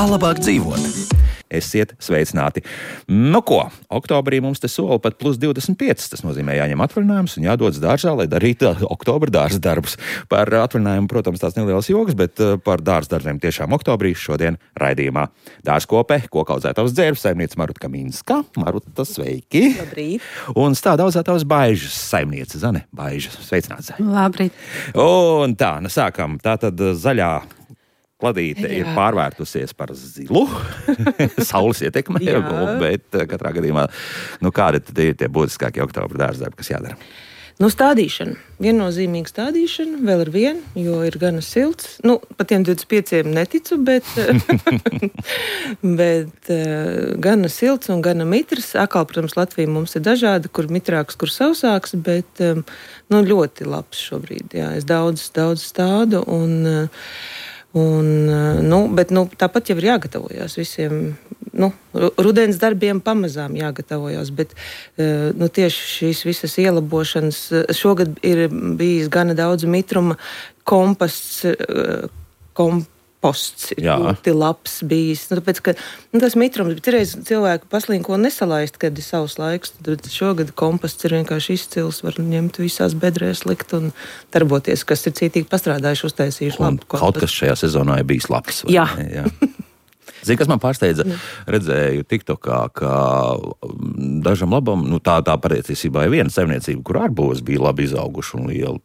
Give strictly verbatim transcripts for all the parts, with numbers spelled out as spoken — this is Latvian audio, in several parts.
Kā labāk dzīvot? Esiet sveicināti. Nu ko, oktobrī mums te sola pat plus divdesmit pieci. Tas nozīmē jāņem atvaļinājums un jādodas dārzā, lai darītu oktobra dārza darbus. Par atvaļinājumu, protams, tās nelielas jogas, bet par dārza darbiem tiešām oktobrī šodien raidījumā. Dārzkope, kokaudzētavas dzērves saimniece Maruta Kaminska. Maruta, sveiki! Labrīt! Un stāda audzētavas Baižas saimniece Zane Baiža. Sveicināts, Zane! Labrīt! Un tā, nu sākam. Tātad zaļā Kladīte ir pārvērtusies par zilu, saules ietekmē, bet katrā gadījumā, nu kādi tad ir tie būtiskākie oktobra dārza darbi, kas jādara? Nu, stādīšana. Viennozīmīga stādīšana, vēl ar vienu, jo ir gana silts. Nu, pat tiem divdesmit pieciem neticu, bet, bet uh, gana silts un gana mitrs. Akal, protams, Latvija mums ir dažāda, kur mitrāks, kur sausāks, bet um, nu, ļoti labs šobrīd. Jā, es daudz, daudz stādu un... Uh, Un, nu, bet, nu, tāpat jau ir jāgatavojas visiem nu, rudens darbiem, pamazām jāgatavojas. Bet nu, tieši šīs visas ielabošanas šogad ir bijis gana daudz mitruma, komposts, komposts. Posts ir Jā. ļoti labs bijis. Nu, tāpēc, ka, nu, tas mitrums, bet reiz cilvēku paslinko nesalaist, kad ir savs laiks. Tad šogad komposts ir vienkārši izcils, var ņemt visās bedrēs, likt un darboties, kas ir cītīgi pastrādājuši, uztaisījuši un labu kompostu. Kaut kas šajā sezonā ir bijis labs. Jā. Jā. Zini, kas man pārsteidza? Redzēju TikTokā, ka dažam labam, nu tā, tā patiesībā ir viena saimniecība, kur ārbūvas bija labi izauguši un liela.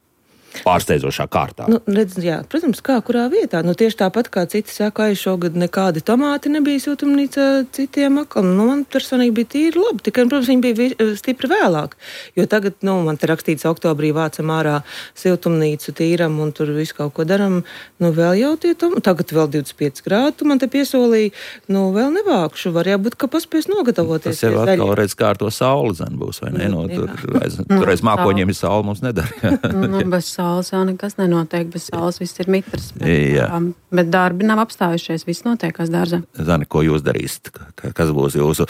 Pārsteidzošā kārtā. Nu, redz, jā, protams, kā kurā vietā. Nu, tieši tāpat kā citi saka, ka šogad nekādi tomāti nebija siltumnīcā citiem akam. Nu, man personīgi bija tīri labi. Tikai, protams, viņi bija stipri vēlāk. Jo tagad, nu, man te rakstīts oktobrī vācam ārā siltumnīcu tīram un tur visu kaut ko daram. Nu, vēl jau tie tomāti. Tagad vēl divdesmit pieci grādi. Tu man te piesolīji, nu, vēl nevākšu. Var jābūt, ka paspēs nogatavoties. Tas jau atkal redz, kā ar to sauli zem būs, vai ne? Nu, tur reiz, tur reiz mākoņiem ir saule, mums nedara. Nu, bez saules jau nekas nenotiek, bez saules viss ir mitrs. Bet, Jā. um, bet darbi nav apstājušies, viss notiekās dārzā. Zani, ko jūs darīsiet? Kas būs jūsu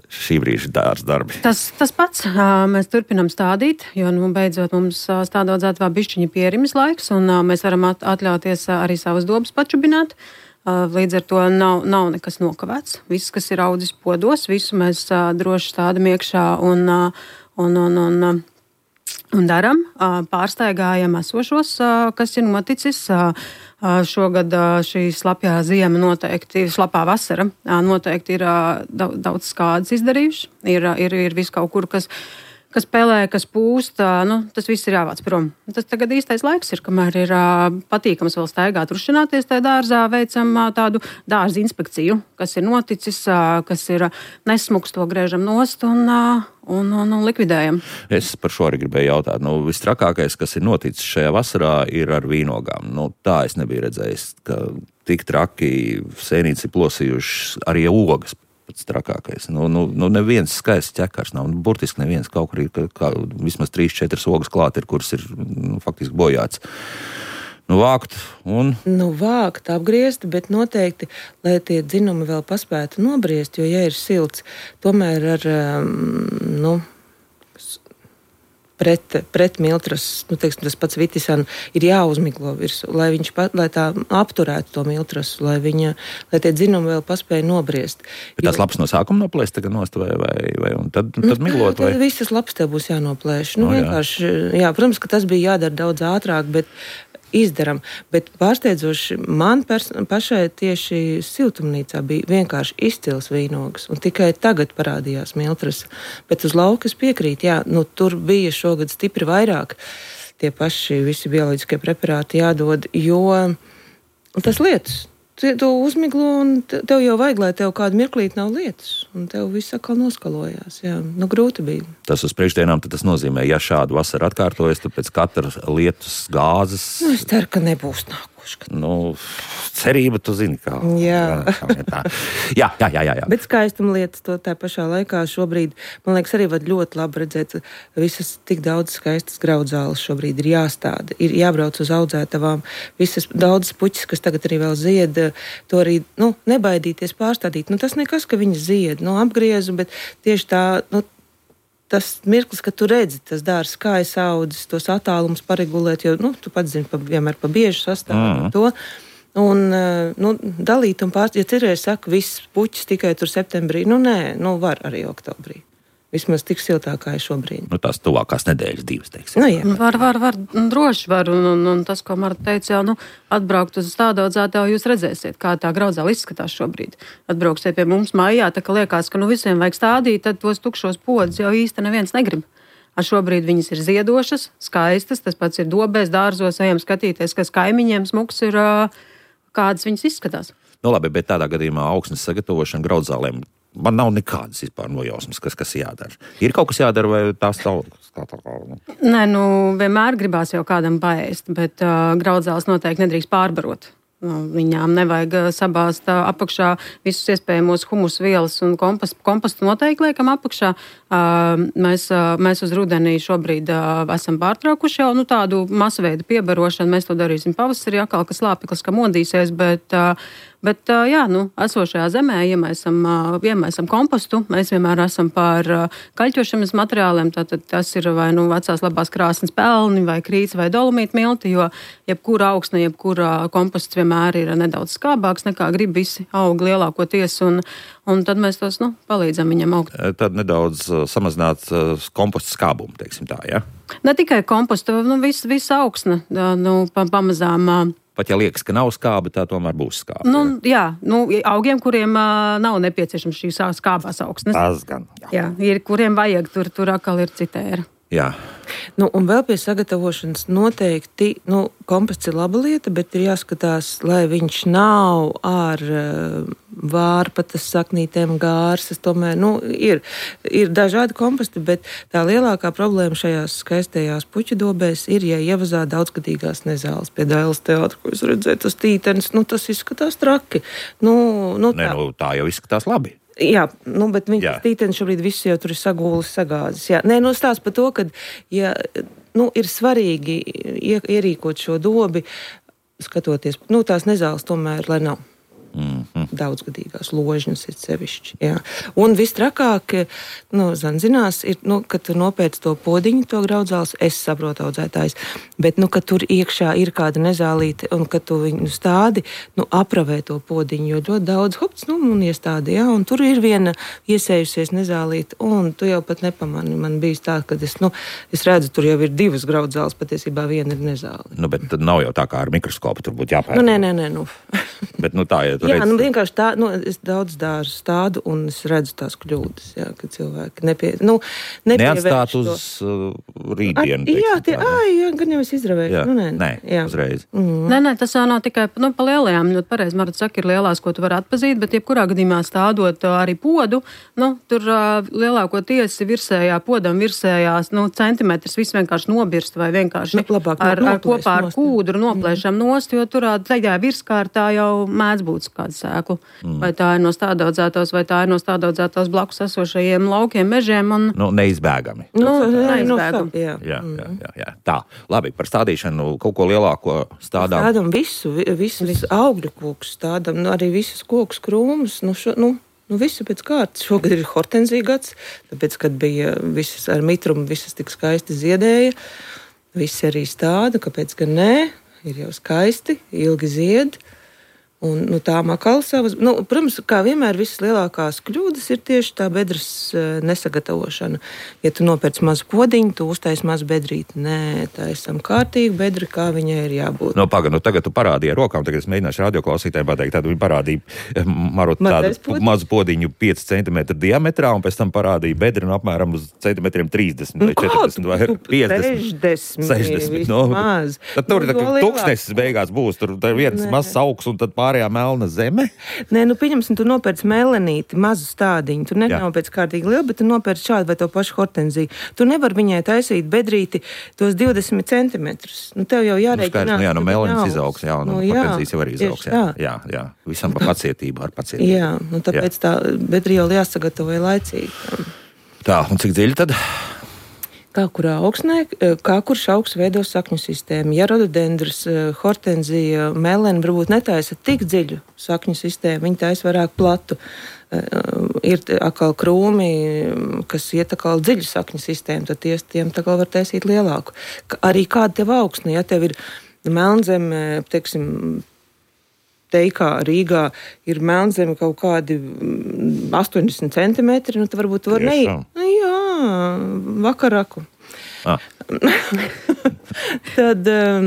šī brīža dārza darbi? Tas, tas pats. Uh, mēs turpinām stādīt, jo nu, beidzot mums uh, stādodzētavā bišķiņa pierimis laiks, un uh, mēs varam at- atļauties uh, arī savas dobas pačubināt. Uh, līdz ar to nav, nav nekas nokavēts. Viss, kas ir audzis podos, visu mēs uh, droši stādam iekšā un, uh, un, un, un, un Un daram, pārsteigājam esošos, kas ir noticis. Šogad šī slapjā ziema noteikti, slapā vasara noteikti ir daudz skādas izdarījuši. Ir, ir, ir viss kaut kur, kas, kas pelē, kas pūst, nu, tas viss ir jāvāc prom. Tas tagad īstais laiks ir, kamēr ir patīkams vēl staigāt, rušināties tajā dārzā, veicam tādu dārza inspekciju, kas ir noticis, kas ir nesmuks, to griežam nost un, un, un, un likvidējam. Es par šo arī gribēju jautāt. Nu, vistrakākais, kas ir noticis šajā vasarā, ir ar vīnogām. Nu, tā es nebiju redzējis, ka tik traki sēnītes ir plosījuši arī ogas. Pats trakākais. Nu, nu, nu neviens skaists ķekars nav. Nu, burtiski neviens kaut kur ir, ka, kā, vismaz trīs, četras ogas klāt ir, kuras ir nu, faktiski bojāts. Nu, vākt un... Nu, vākt, apgriezt, bet noteikti, lai tie dzinumi vēl paspētu nobriest, jo, ja ir silts, tomēr ar, um, nu, pret, pret miltras, nu, teiksim, tas pats vitisana, ir jāuzmiglo virsū, lai viņš, pa, lai tā apturētu to miltrasu, lai viņa, lai tie dzinumi vēl paspēja nobriest. Bet tās lapas no sākuma noplēst tagad nost vai, vai, vai un tad, tad miglot vai? Tad visas lapas tev būs jānoplēš. Nu, No, jā. vienkārši, jā, protams, ka tas bija jādara daudz ātrāk, bet izdaram. Bet pārsteidzoši man pers- pašai tieši siltumnīcā bija vienkārši izcils vīnogas. Un tikai tagad parādījās miltras. Bet uz laukas piekrīt, jā, nu tur bija šogad stipri vairāk. Tie paši visi bioloģiskie preparāti jādod, jo tas lietas. Tu uzmiglo un tev jau vajag, lai tev kādu mirklīti nav lietas. Un tev viss atkal noskalojās. Jā, nu grūti bija. Tas uz priekšdienām tad tas nozīmē, ja šādu vasaru atkārtojas, tad pēc katras lietus gāzes... Nu, es ceru, ka nebūs nākošais. Nu, cerība, tu zini, kā. Jā. kā tā. jā, jā, jā, jā, jā. Bet skaistuma lietas to tā pašā laikā šobrīd, man liekas, arī var ļoti labi redzēt, visas tik daudz skaistas graudzāles šobrīd ir jāstāda, ir jābrauc uz audzētavām, visas daudzas puķis, kas tagad arī vēl zied, to arī, nu, nebaidīties pārstādīt. Nu, tas nekas, ka viņas zied, nu, apgriezu, bet tieši tā, nu, tas mirklis, kad tu redzi, tas dārzs kājas audzes, tos attālumus paregulēt, jo, nu, tu pats zini, pa, vienmēr pa biežu sastāvu mm. to. Un, nu, dalīt un pārst, ja citreiz saka, viss puķis tikai tur septembrī, nu nē, nu var arī oktobrī. Vismaz tik siltāk kā ir šobrīd. Nu, tās tuvākās nedēļas divas, teiksim. Nu, jā. Var, var, var, droši var, un, un, un tas, ko Marta teica, jau, nu, atbraukt uz stādu audzētāju, jūs redzēsiet, kā tā graudzāle izskatās šobrīd. Atbrauksiet pie mums mājā, tā ka liekas, ka nu visiem vajag stādīt, tad tos tukšos podus jau īsti neviens negrib. Ar šobrīd viņas ir ziedošas, skaistas, tas pats ir dobēs, dārzos, ejam skatīties, kas kaimiņiem smuks ir, kādas viņas izskatās. Nu labi, bet tādā gadījumā augsnes sagatavošana graudzālēm, man nav nekādas vispār nojausmas, kas, kas jādara. Ir kaut kas jādara, vai tās tā? Nē, nu, vienmēr gribās jau kādam paēst, bet uh, graudzāles noteikti nedrīkst pārbarot. Viņām nevajag sabāzt apakšā visus iespējamos humus vielas un kompostu, kompostu noteikti liekam apakšā. Mēs, mēs uz rudenī šobrīd esam pārtraukuši jau nu, tādu masveidu piebarošanu. Mēs to darīsim pavasarī, atkal, kas lāpeklis, ka modīsies, bet, bet jā, nu, esošajā zemē iemaisam, iemaisam kompostu. Mēs vienmēr esam par kaļķošanas materiāliem, tātad tas ir vai nu vecās labās krāsnes pelni, vai krīts, vai dolomīta milti, jo jebkura augsne, jebkura komposts vienmēr ir nedaudz skābāks nekā grib visi aug lielākoties, un, un tad mēs tos, nu, palīdzam viņam augt. Tad nedaudz samazināt kompostu skābumu, teiksim tā, ja? Ne tikai kompostu, nu, viss vis augsne, nu, pamazām. Pat ja liekas, ka nav skāba, tā tomēr būs skāba. Nu, jā, nu, augiem, kuriem uh, nav nepieciešams šīs skābās augsnes. Tas gan. Jā, jā ir, kuriem vajag, tur, tur atkal ir citēra. Jā. Nu, un vēl pie sagatavošanas noteikti, nu, komposts ir laba lieta, bet ir jāskatās, lai viņš nav ar uh, vārpatas saknītēm gārsas. Tomēr, nu, ir, ir dažādi komposti, bet tā lielākā problēma šajās skaistajās puķu dobēs ir, ja ievazā daudzgadīgās nezāles. Pie Dailes teātra, ko es redzēju, tas tītenis, nu, tas izskatās traki. Nu, nu, tā. Ne, nu, tā jau izskatās labi. Jā, nu, bet viņas tītenis šobrīd viss jau tur ir sagūlis, sagāzis. Jā. Nē, nu stāst par to, ka ja, nu, ir svarīgi ierīkot šo dobi, skatoties, nu, tās nezāles tomēr, lai nav. Mm-hmm. Daudzgadīgās ložņas ir sevišķi. Jā. Un vistrakāk, nu, zan zinās, ir, nu, kad tu nopēc to podiņu, to graudzāles, es saprotu audzētājs, bet, nu, kad tur iekšā ir kāda nezālīte un kad tu viņu stādi, nu, apravē to podiņu, jo ļoti daudz hopts, nu, un iestādi, jā, un tur ir viena iesējusies nezālīte, un tu jau pat nepamani. Man bijis tā, ka es, nu, es redzu, tur jau ir divas graudzāles, patiesībā viena ir nezāle. Nu, bet tad nav jau tā kā ar mikroskopu, tur būtu jāpērk. Nu, nē, nē, nē, nu. Bet, nu, tā, ja jā, redz... nu vienkārši tā, nu, es daudz dārzu stādu un es redzu tās kļūdas, jā, ka cilvēki nepie, nu, neatstāt uz uh, rītdienu. At, jā, tie, ā, jā, gan jau es izravēju. Jā, nu, nē, nē, jā. uzreiz. Mm. Nē, nē, tas nav tikai, nu, pa lielajām, ļoti pareizi, Marta saka, ir lielās, ko tu vari atpazīt, bet jebkurā gadījumā stādot arī podu, nu, tur uh, lielāko tiesi virsējā, podam virsējās, nu, centimetrs viss vienkārši nobirst vai vienkārši nu, labāk, ar, ar kopā ar kūdru noplēšam mm. nost, jo tur tajā virskārtā jau mēdz būt kāda sēkla. Mm. Vai tā ir no stādaudzētos, vai tā ir no stādaudzētos blakus esošajiem laukiem, mežiem. Un... Nu, neizbēgami. Nu, neizbēgami. Jā. Jā, jā, jā, jā. Tā, labi, par stādīšanu kaut ko lielāko stādām. Stādām visu, visu, visu augļu kokus stādām, nu, arī visus kokus krūmus, nu, šo, nu, nu, visu pēc kārtas. Šogad ir hortenzija gads, tāpēc, kad bija visas ar mitrumu, visas tik skaisti ziedēja, visi arī stāda, kāpēc gan nē, ir jau skaisti, ilgi zied. Un, nu, tā makala savas, nu, protams, kā vienmēr visas lielākās kļūdas ir tieši tā bedres uh, nesagatavošana. Ja tu nopērc mazu podiņu, tu uztaisi mazu bedrīti. Nē, tā esam kārtīgi bedri, kā viņai ir jābūt. No, paga, nu, tagad tu parādīji ar rokām, tagad es mēģināšu radioklausītājiem pateikt, tad viņi parādīja Marot tādu podiņu. Mazu podiņu pieci centimetri diametrā, un pēc tam parādīja bedri nu, apmēram uz centimetriem trīsdesmit nu, vai četrdesmit vai piecdesmit. sešdesmit. No, tad tur ir tūkstnesis beigās būs, tur ir viens mazs augs un tad pārējā melna zeme? Nē, nu pieņemsim, tu nopērc melenīti, mazu stādiņu. Tu nenopērc kārtīgi lielu, bet tu nopērc šādu vai to pašu hortenziju. Tu nevar viņai taisīt bedrīti tos divdesmit centimetrus. Nu, tev jau jārēķinās. Nu, jā, nu melenis izaugs, jā, un nu, hortenzijas jau arī izaugs. Jā, jā, jā. Visam par pacietību, ar pacietību. Jā, nu tāpēc jā. Tā bedri jau jāsagatavoja laicīgi. Tā, un cik dziļi tad? Kā kurā augsnē, kā kurš augs veido sakņu sistēmu. Ja rododendrs, hortenzija, melena varbūt netaisa tik dziļu sakņu sistēmu, viņi taisa vairāk platu. Ir atkal krūmi, kas iet atkal dziļu sakņu sistēmu, tad ties, tiem atkal var taisīt lielāku. Arī kāda tev augsne, ja tev ir melnzeme, teiksim, teikā Rīgā ir melnzeme kaut kādi astoņdesmit centimetri, nu, tad varbūt tu var neiet. Nu, jā, vakaraku. Ah. Tad um,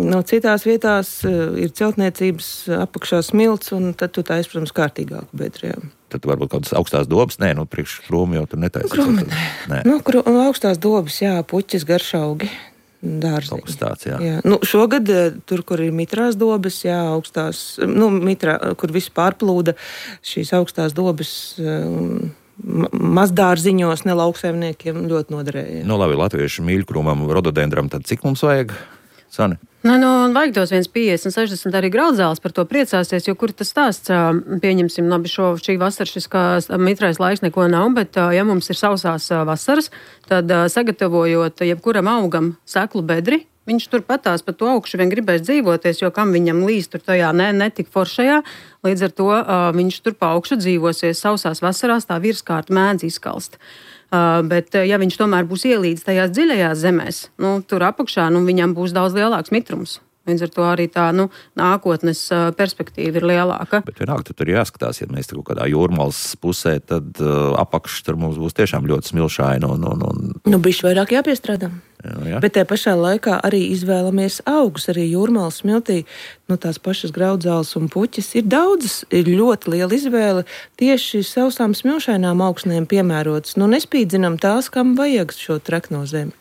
no citās vietās uh, ir celtniecības apakšā smilts, un tad tu taisi, protams, kārtīgāku bedri. Jā. Tad varbūt kaut kādas augstās dobas, nē, nu priekš krūmi jau tur netaisīs. Krūmi, nē. nē. Nu, krū, augstās dobas, jā, puķis, garšaugi, dārziņi. Kaut kas tāds, jā. jā. Nu, šogad tur, kur ir mitrās dobas, jā, augstās, nu, mitrā, kur viss pārplūda, šīs augstās dobas um, mazdārziņos, ne lauksaimniekiem ļoti noderēja. Nu, labi, latviešu mīļkrūmam, rododendram, tad cik mums vajag, Sani? Nu, nu, vajag tos viens piecdesmit, sešdesmit arī Graudzēlis par to priecāsies, jo kur tas stāsts, pieņemsim, labi, šo, šī vasara šis kā mitrais laiks neko nav, bet ja mums ir sausās vasaras, tad sagatavojot jebkuram augam seklu bedri, viņš tur patās pa to augšu vien gribēs dzīvoties, jo kam viņam līst tur tajā ne, netik foršajā, līdz ar to uh, viņš tur pa augšu dzīvosies sausās vasarās, tā virskārta mēdz izkalst. Uh, bet, uh, ja viņš tomēr būs ielīdz tajās dziļajās zemēs, nu, tur apakšā, nu, viņam būs daudz lielāks mitrums. Līdz ar to arī tā, nu, nākotnes uh, perspektīva ir lielāka. Bet vienalga, tur ir jāskatās, ja mēs tur kaut kādā jūrmalas pusē, tad uh, apakš tur mums būs tiešām ļoti smilšaini un... un, un... Nu, bišķi vairāk jāpiestrādā. Jā, jā. Bet tajā pašā laikā arī izvēlamies augus, arī jūrmalas smiltī, nu, tās pašas Graudzēlis un puķis ir daudzas, ir ļoti liela izvēle tieši sausām smilšainām augsnēm piemērotas. Nu, nespīdzinam tās, kam vajag šo trekno zemi.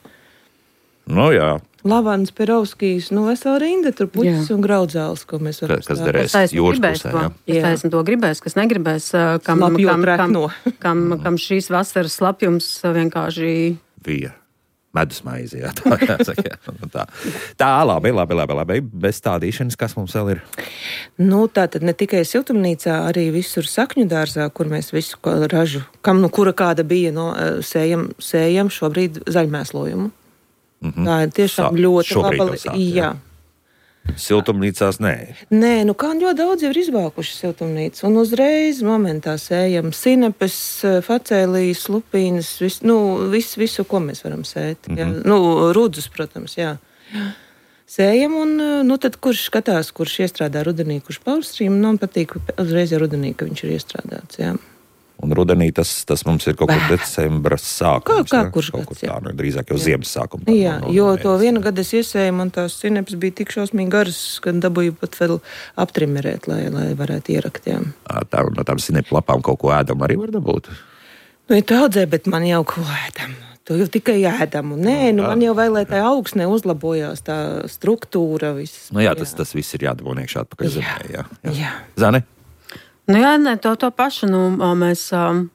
Nu, jā. Lavans, Perovskijs, nu, vesela rinda, tur puķis un Graudzēlis, ko mēs varam Kas derēs jūras pusē, jā. Kas taisn to gribēs, kas negribēs, kam, kam, kam, kam, kam šīs vasaras slapjums vienkārši... Bija. Medus maizi, jā, tā jāsaka. Tā, tā labi, labi, labi, labi. Bez stādīšanas, kas mums vēl ir? Nu, tā tad ne tikai siltumnīcā, arī visur sakņu dārzā, kur mēs visu ražu, kam nu kura kāda bija, no, sējam, sējam šobrīd zaļmēslojumu. Mm-hmm. Tā ir tiešām Sā, ļoti laba. Sāk, jā. jā. Siltumnīcās nē. Nē, nu kā ļoti daudz jau ir izvākuši siltumnīcu, un uzreiz momentā sējam sinepes, facēlijas, lupīnas, vis, nu, visu, visu, ko mēs varam sēt. Jā. Mm-hmm. Nu, rudzus, protams, jā. Sējam, un nu, tad kurš skatās, kurš iestrādā rudenī, kurš pavasarī, man patīk uzreiz jau rudenī, ka viņš ir iestrādāts, jā. Un rudenī tas, tas mums ir kaut kur decembra sākums. Kā, kā kurš kaut gads, kur tā, jā. Nu, drīzāk jau ziemas sākuma. Tā, jā, no, no, jo no, to vienu gadu es iesēju, man tās sinepes bija tik šausmīgi garas, ka dabūju pat vēl aptrimerēt, lai, lai varētu ierakt, jā. Tā, no tām sinepu lapām kaut ko ēdam arī var dabūt? Nu, ir daudzē, bet man jau ko ēdam. To jau tikai ēdam. Un nē, nu, man jau vēl, lai tā augsne uzlabojās, tā struktūra, viss. Nu jā, tas, tas viss ir jādabū iekšā atpakaļ zemē, jā. jā. jā. Zane? Nu jā, ne, to, to pašu, nu, mēs... Um...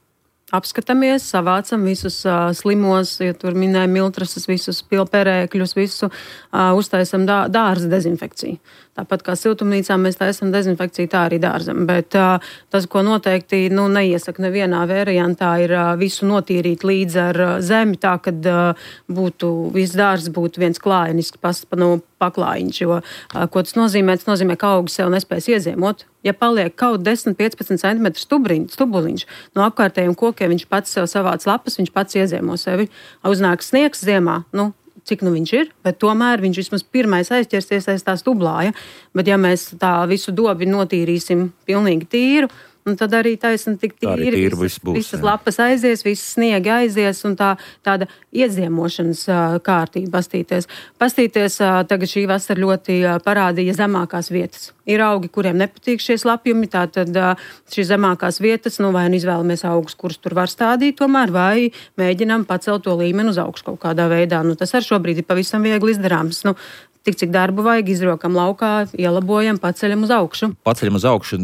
apskatāmies, savācam visus uh, slimos, ja tur minēja miltrases, visus pilperēkļus, visu uh, uztaisam dā, dārza dezinfekciju. Tāpat kā siltumnīcā mēs taisam dezinfekciju, tā arī dārzam. Bet uh, tas, ko noteikti nu, neiesaka nevienā variantā, ir uh, visu notīrīt līdz ar uh, zemi, tā, kad uh, būtu, viss dārzs būtu viens klājenisks pas, nu, paklājiņš. Jo, uh, ko tas nozīmē? Tas nozīmē, ka augi sev nespēs ieziemot. Ja paliek kaut desmit līdz piecpadsmit centimetru stubuliņš no apkārtējiem kokiem, viņš pats sev savāc lapas, viņš pats ieziemo sevi. Uznāk sniegs ziemā, nu, cik nu viņš ir, bet tomēr viņš vismaz pirmais aizķersies aiz tā stublāja. Bet ja mēs tā visu dobi notīrīsim pilnīgi tīru, un tad arī taisni tik tīri, tīri visas, būs, visas lapas aizies, visas sniega aizies, un tā tāda ieziemošanas uh, kārtība pastīties. Pastīties, uh, tagad šī vasara ļoti uh, parādīja zemākās vietas. Ir augi, kuriem nepatīk šie slapjumi, tātad uh, šīs zemākās vietas, nu vai nu izvēlamies augus, kurus tur var stādīt tomēr, vai mēģinām pacelt to līmeni uz augšu kaut kādā veidā. Nu, tas ar šobrīd ir pavisam viegli izdarāms. Nu, tik cik darbu vajag, izrokam laukā, ielabojam, paceļam uz augšu. Paceļam uz augšu,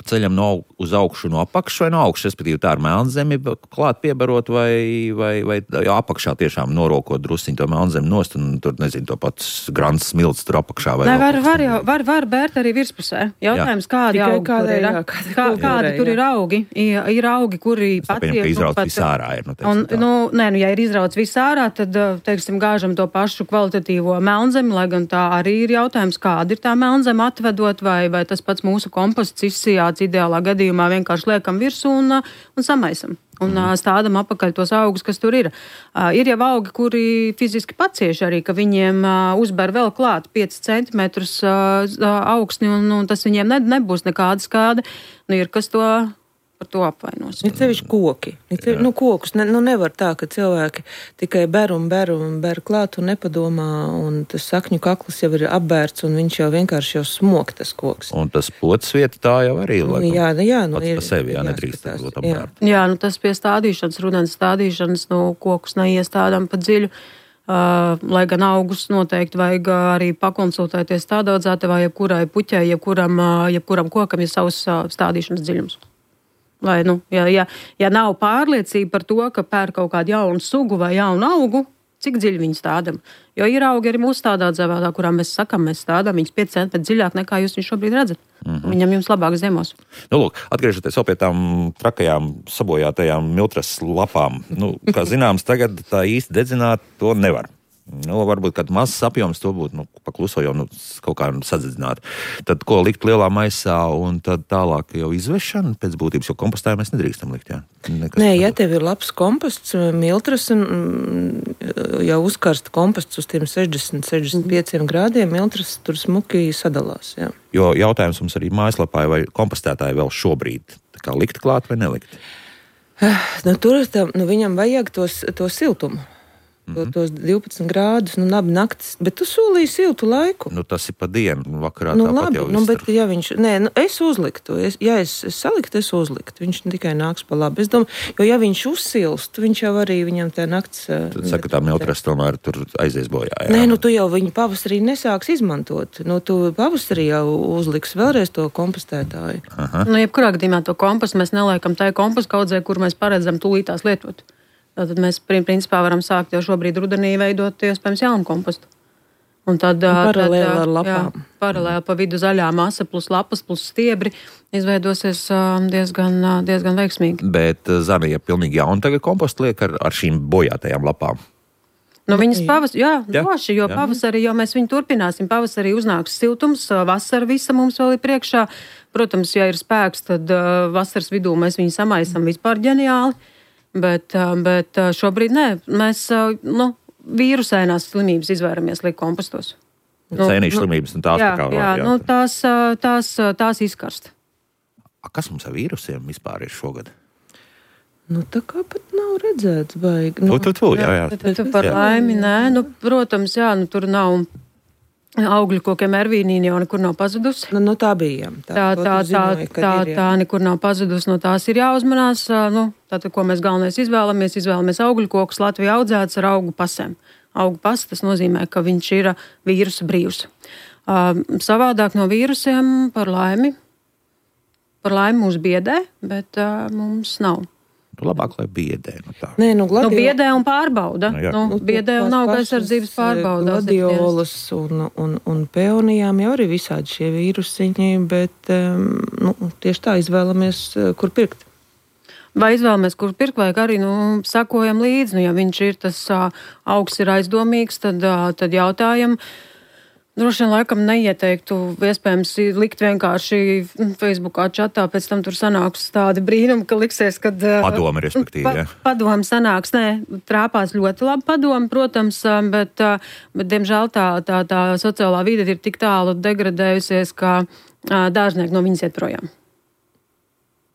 ceļam no, uz augšu no apakšu vai no augšu, respektīvi tā ar melnzemi klāt piebarot vai, vai, vai jā, apakšā tiešām norokot drusciņu to melnzemi nost un tur, nezinu, to pats grants smilts tur apakšā. Vai Nē, var, var, jau, var, var bērt arī virspusē. Jautājums, jā. Kādi augi tur ir? Jā, kādi, Kā, kādi tur ir augi? Ir, ir augi, kuri pat ir... Izrauts nu, visārā ir. Nu, un, nu, nē, nu, ja ir izrauts visārā, tad, teiksim, gāžam to pašu kvalitatīvo melnzemi, lai gan tā arī ir jautājums, kāda ir tā melnzeme atvedot, vai, vai tas pats mūsu komposts izsijāts ideālā gadījumā vienkārši liekam virsū un, un samaisam. un mm. stādam apakaļ tos augus, kas tur ir. Uh, ir jau augi, kuri fiziski pacieši arī, ka viņiem uh, uzber vēl klāt pieci centimetrus uh, augsni, un, un tas viņiem ne, nebūs nekāda skāde. Nu, ir kas to par to apvainos. Ir sevišķi koki. Ir sevišķi, nu, kokus ne, nu, nevar tā, ka cilvēki tikai ber un ber un ber klāt un nepadomā, un tas sakņu kakls jau ir apbērts, un viņš jau vienkārši jau smok tas koks. Un tas potas vieta tā jau arī ir. Nu, jā, jā, nu, pats ir, pa sevi, jā, nedrīkst būt apbērt. Jā, nu tas pie stādīšanas, rudens stādīšanas, nu kokus neiestādām pa dziļu. Uh, lai gan augus noteikti vajag arī pakonsultēties stādaudzētavā, jebkurai puķai, jebkuram, uh, jebkuram kokam ir savs uh, stādīšanas dziļums. Lai, nu, ja, ja, ja nav pārliecība par to, ka pēr kaut kādu jaunu sugu vai jaunu augu, cik dziļi viņi stādam. Jo ir augi arī mūsu stādaudzētavā, kurā mēs sakam, mēs stādām viņus pieci centimetri dziļāk nekā jūs viņu šobrīd redzat. Mm-hmm. Viņam jums labāk ziemos. Nu, lūk, atgriežoties vēl pie tām trakajām, sabojātajām miltras lapām. Nu, kā zināms, tagad tā īsti dedzināt to nevar. Nu, varbūt kāds mazs apjoms to būtu, nu, pakluso jau nu, kaut kā sadedzināt. Tad ko likt lielā maisā un tad tālāk jau izvešana pēc būtības, jo kompostā mēs nedrīkstam likt, jā? Nekas Nē, ja tev ir labs komposts, miltras un jau uzkarsta komposts uz tiem sešdesmit līdz sešdesmit pieciem grādiem, miltras tur smuki sadalās, jā. Jo jautājums mums arī mājaslapā, vai kompostētāji vēl šobrīd tā kā likt klāt vai nelikt? Nu, tur tā, nu, viņam vajag tos, to siltumu. To, tos divpadsmit grādus, nu, labi naktis, bet tu solīji siltu laiku. Nu, tas ir pa dienu, vakarā nu, tāpat labi, jau nu, izstar. bet, ja viņš, nē, nu, es uzliktu, es, ja es, es saliktu, es uzliktu, viņš tikai nāks pa labi. Es domāju, jo ja viņš uzsilst, viņš jau arī viņam tā nakts... Tad saka, tā miltras tomēr tur aizies bojā, jā. Nē, nu, tu jau viņu pavasarī nesāks izmantot. Nu, tu pavasarī jau uzliks vēlreiz to kompostētāju. Aha. Nu, jebkurā gadījumā to kompostu mēs neliekam tai kompostu kaudzē, kur mēs paredzam tūlītās lietot. Tad mēs principā varam sākt jau šobrīd rudenī veidot iespējams jaunu kompostu. Un tad paralēli tad, ar lapām. Jā, paralēli pa vidu zaļā masa plus lapas plus stiebri izveidosies diezgan, diezgan veiksmīgi. Bet Zana, ja pilnīgi jauni tagad kompostu liek ar, ar šīm bojātajām lapām? Nu, viņas pavas, jā, jā, droši, jo jā. pavasarī jau mēs viņu turpināsim. Pavasarī uznāks siltums, vasara visa mums vēl ir priekšā. Protams, ja ir spēks, tad vasaras vidū mēs viņu samaisam vispār ģeniāli. Bet, bet šobrīd nē, mēs nu, vīrusainās slimības izvairamies likt kompostos. Nu, Sēnīšu slimības un tās jā, tā kā jā, jā. Nu, tās, tās, tās izkarst. A, kas mums ar vīrusiem vispār ir šogad? Nu, tā kā pat nav redzēts baigi. Nu, tu, tu, tu, jā, jā. Bet, bet, par laimi, nē, nu, protams, jā, nu, tur nav... Augļu kokiem ervīnīni jau nekur nav pazudusi. Nu, nu tā bija. Jā. Tā, tā, tā, zināju, tā, ir, tā nekur nav pazudusi, no tās ir jāuzmanās. Nu, tātad, ko mēs galvenais izvēlamies, izvēlamies augļu kokus Latvijā audzēts ar augu pasēm. Augu pas, tas nozīmē, ka viņš ir vīrusa brīvs. Uh, savādāk no vīrusiem par laimi. Par laimi mūs biedē, bet uh, mums nav. Nu, labāk, lai biedē. Nu, tā. Nē, nu, gladio... nu, biedē un pārbauda. Nu, jā. nu, Nu, biedē un auga aizsardzības pārbauda. Gladiolas un, un, un peonijām jau arī visādi šie vīrusiņi, bet um, nu, tieši tā izvēlamies, kur pirkt. Vai izvēlamies, kur pirkt, vai arī nu, sakojam līdzi. Nu, ja viņš ir tas uh, augs ir aizdomīgs, tad, uh, tad jautājam. Droši vien laikam neieteiktu, iespējams, likt vienkārši Facebookā čatā, pēc tam tur sanāks tādi brīnumi, ka liksies, kad... Padomi, respektīvi, pa, jā. Padomi sanāks, nē, trāpās ļoti labi padomi, protams, bet, bet diemžēl tā, tā, tā sociālā vide ir tik tālu degradējusies, ka dārznieki no viņas iet projām.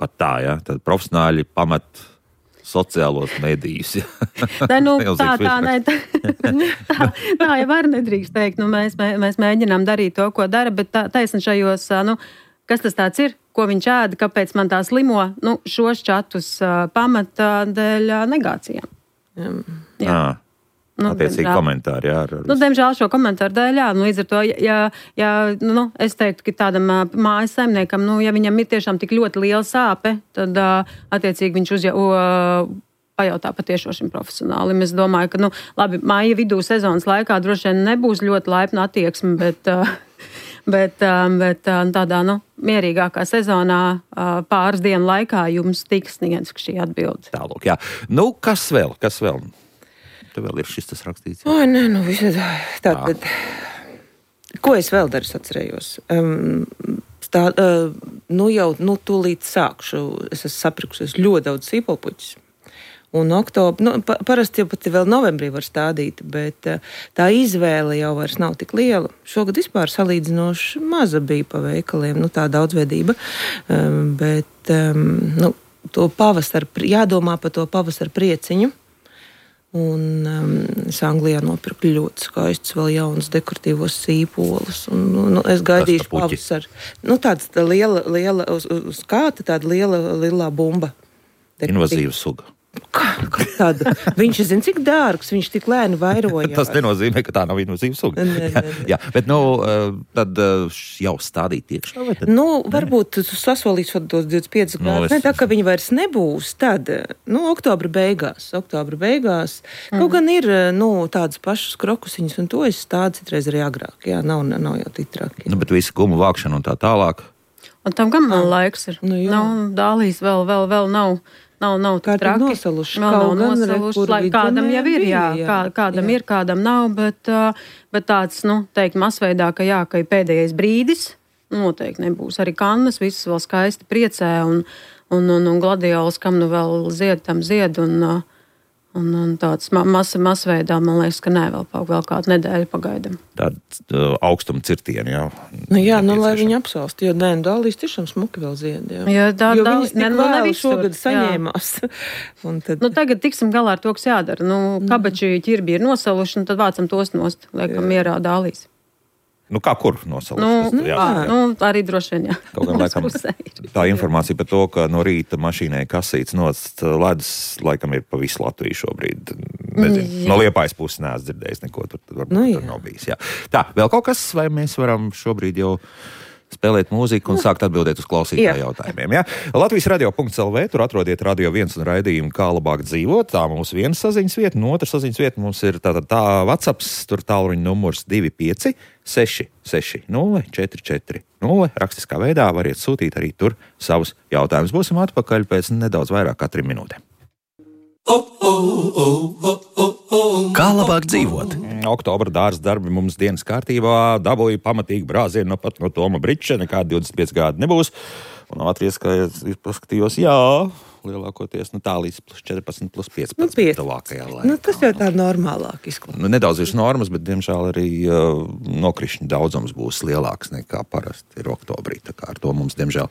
Pat tā, jā, tad profesionāļi pamet sociālos medijus. Nē, nu, tā, tā, nē, tā, tā, tā jau var nedrīkst teikt. Nu, mēs, mēs mēģinām darīt to, ko dara, bet tā, taisni šajos, nu, kas tas tāds ir, ko viņš ēda, kāpēc man tā slimo, nu, šos čatus pamata dēļ negācijām. Jā. Nu, attiecīgi komentāri, jā. Ar, ar nu, diemžēl šo komentāru dēļ, jā, nu, līdz ar to, ja, ja nu, es teiktu, ka tādam mājas saimniekam, nu, ja viņam ir tiešām tik ļoti liela sāpe, tad attiecīgi viņš uzja, uh, pajautā patiešo šim profesionālim. Es domāju, ka, nu, labi, māja vidū sezonas laikā droši vien nebūs ļoti laipna attieksme, bet, uh, bet, uh, bet uh, tādā, nu, mierīgākā sezonā uh, pāris dienu laikā jums tiks sniegts šī atbilde. Tālūk, jā. Nu, kas vēl, kas vēl? Te vēl ir šis tas rakstīts. Oi, nē, nu, visādi. Tātad, ko es vēl daru, atcerējos? Um, tā, uh, nu jau, nu, tūlīt sākšu. Es esmu saprikusies ļoti daudz sīpolpuķus. Un oktobra, nu, pa, parasti jau pat vēl novembrī var stādīt, bet tā izvēle jau vairs nav tik liela. Šogad vispār salīdzinoši maza bija pa veikaliem, nu tā daudzveidība, um, bet um, nu, to pavasar, jādomā par to pavasar prieciņu. Un um, es Anglijā nopirku ļoti skaistus, vēl jaunus dekoratīvos sīpolus. Un, nu, es gaidīšu pavasaru. Nu, tāds tā liela, liela, uz, uz kāta tāda liela, lielā bumba. Invazīva suga. Kā, kā tāda? Viņš zina, cik dārgs, viņš tik lēni vairojās. Tas nenozīmē, ka tā nav invazīva suga. Ne, ne, ne. Jā, bet nu, tad jau stādīt iekšā? Tad... Nu, varbūt tu sasolīsi tos divdesmit piecus Nu, grādus. es- Ne, tā, ka viņi vairs nebūs, tad, nu, oktobra beigās, oktobra beigās. Mm. Kaut gan ir, nu, tādas pašas krokusiņas, un to es stādu citreiz arī agrāk. Jā, nav, nav jau tik traki. Nu, bet visi gumu vākšana un tā tālāk. Un tam gan man laiks ir. Nu, jā. nav dālīs, vēl, vēl, vēl nav. Nav, nav Kā tik traki. nosaluši. Vēl Kaut nav gan re, nosaluši. kur Lai kādam vidzemē jau ir, jā, bija, jā. kā, kādam Jā. ir, kādam nav, bet, uh, bet tāds, nu, teikt, masveidā, ka jā, ka ir pēdējais brīdis, noteikti nebūs. Arī kannas viss vēl skaisti priecē, un, un, un, un gladiolas, kam nu vēl zied, tam zied, un, uh, un, un tāds ma mas, masveidā, man liekas, ka nē, vēl, pa- vēl kādu nedēļu pagaidam. Tāda uh, augstuma cirtieni, jā. Nu, jā, nu, lai Nepieciešama. viņi apsalst, jo nē, dālīs tiešām smuki vēl zied. Jā. Jā, tā- jo Dālis- viņas ne- tik nu, ne vēl visur, šogad jā. saņēmās. Un tad, Nu, tagad tiksim galā ar to, kas jādara. Nu, kabači ķirbi ir nosaluši, un tad vācam tos nost, liekam mierā dālīs. Nu, kā kur nosalas? Nu, Tas jāsaka. nu, arī droši vien, jā. Kaut gan, Mūsu laikam, pusē ir. tā informācija par to, ka no rīta mašīnai kasīts nost ledus, laikam ir pa visu Latviju šobrīd. Nezinu, no Liepājas puses neesmu dzirdējis neko, tur, tur, varbūt, Nu, tur jā. nav bijis. Jā. Tā, vēl kaut kas, vai mēs varam šobrīd jau spēlēt mūziku un sākt atbildēt uz klausītāju Jā. jautājumiem. Ja? Latvijas radio punkts el vē, tur atrodiet Radio viens un raidījumu, kā labāk dzīvot. Tā mūsu viena saziņas vieta, un otra saziņas vieta mums ir tā, tā, tā WhatsApp, tur tālruņa numurs divi pieci seši seši nulle četri četri nulle. Rakstiskā veidā variet sūtīt arī tur savus jautājumus. Būsim atpakaļ pēc nedaudz vairāk kā trim minūtēm. Kā labāk dzīvot? Oktobra dārza darbi mums dienas kārtībā. Dabūju pamatīgi brāzienu no pat no Toma Briča. Nekādi divdesmit pieci grādi nebūs. Un Latvijas, kā es paskatījos, jā, lielākoties nu, tā līdz plus četrpadsmit, plus piecpadsmit. Nu, piecpadsmit. Tuvākajā laikā. nu, tas jau tā normālāk izklausās. Nu, nedaudz virs normas, bet, diemžēl, arī uh, nokrišņu daudzums būs lielāks nekā parasti ir oktobrī. Tā kā ar to mums, diemžēl,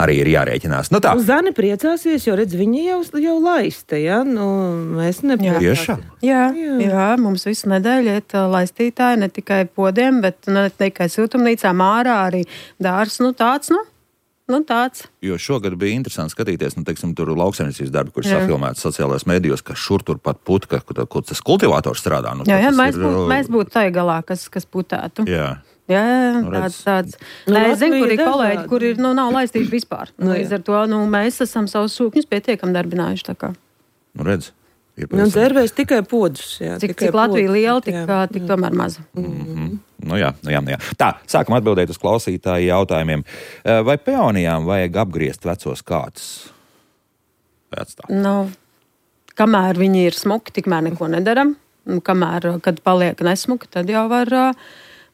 arī ir jārēķinās. Nu, tā. Zani priecāsies, jo, redz, viņi jau, jau laista, ja? Nu, mēs nepriecāsies. Tiešām? Jā, Jā. jā. jā, mums visu nedēļu iet ā, laistītāji, ne tikai podiem, bet ne tikai siltumnīcām ārā, arī dārs, nu tāds, nu, nu tāds. Jo šogad bija interesanti skatīties, nu, teiksim, tur lauksaimniecības darbi, kurš Jā. safilmēts sociālajos medijos, ka šur tur pat putka, kur, kur tas kultivators strādā. Nu, Jā, jā, tas mēs, ir, būtu, mēs būtu tai galā, kas, kas putētu. Jā. Jā, Nu, redz. tāds, tāds. Nu, Nē, es zinu, kur ir Latvija kolēģi, dažādi. kur ir, nu, nav laistīti vispār. Nu, Līdz jā. ar to, nu, mēs esam savus sūkņus pietiekam darbinājuši, tā kā. Nu, redz, ir Nu, pavisam- dzērvēs tikai podus. Jā, Cik, tikai cik Latvija podus, liela, tik, jā. tik tomēr maza. Nu jā, nu jā, nu jā. Tā, sākam atbildēt uz klausītāju jautājumiem. Eh, Vai peonijām vajag apgriezt vecos kārtus? Vai atstāt? Nu, kamēr viņi ir smuki, tikmēr neko nedaram. Un kamēr, kad paliek nesmuki, tad jau var, ā,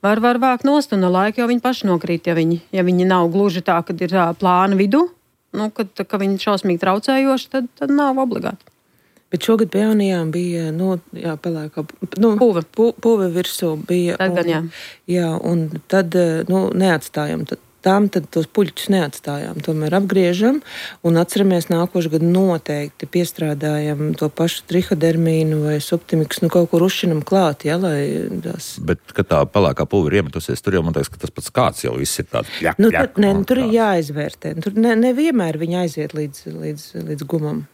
var, var vākt nost, un ar laiku jau viņi paši nokrīt, ja viņi, ja viņi nav gluži tā, kad ir ā, plāna vidu, nu, kad, ka viņi šausmīgi traucējoši, tad, tad nav obligāti. Bet šogad peonijām bija, nu, jā, pelēkā, nu, Puve. pu, puve virsū bija. Tad gan, jā. Jā, un tad, nu, neatstājam. Tad, tām tad tos puļķus neatstājām. Tomēr apgriežam un atceramies nākošu gadu noteikti piestrādājam to pašu trihodermīnu vai subtimiks, nu, kaut kur uzšinam klāt, jā, lai tās... Bet, kad tā pelēkā puva ir iemetusies, tur jau man liekas, ka tas pats kāds jau viss ir tāds. Jā, Nu, tad, ne, nu, tur ir jāizvērtē. Tur ne, nevienmēr viņi aiziet līdz, līdz, līdz gumam.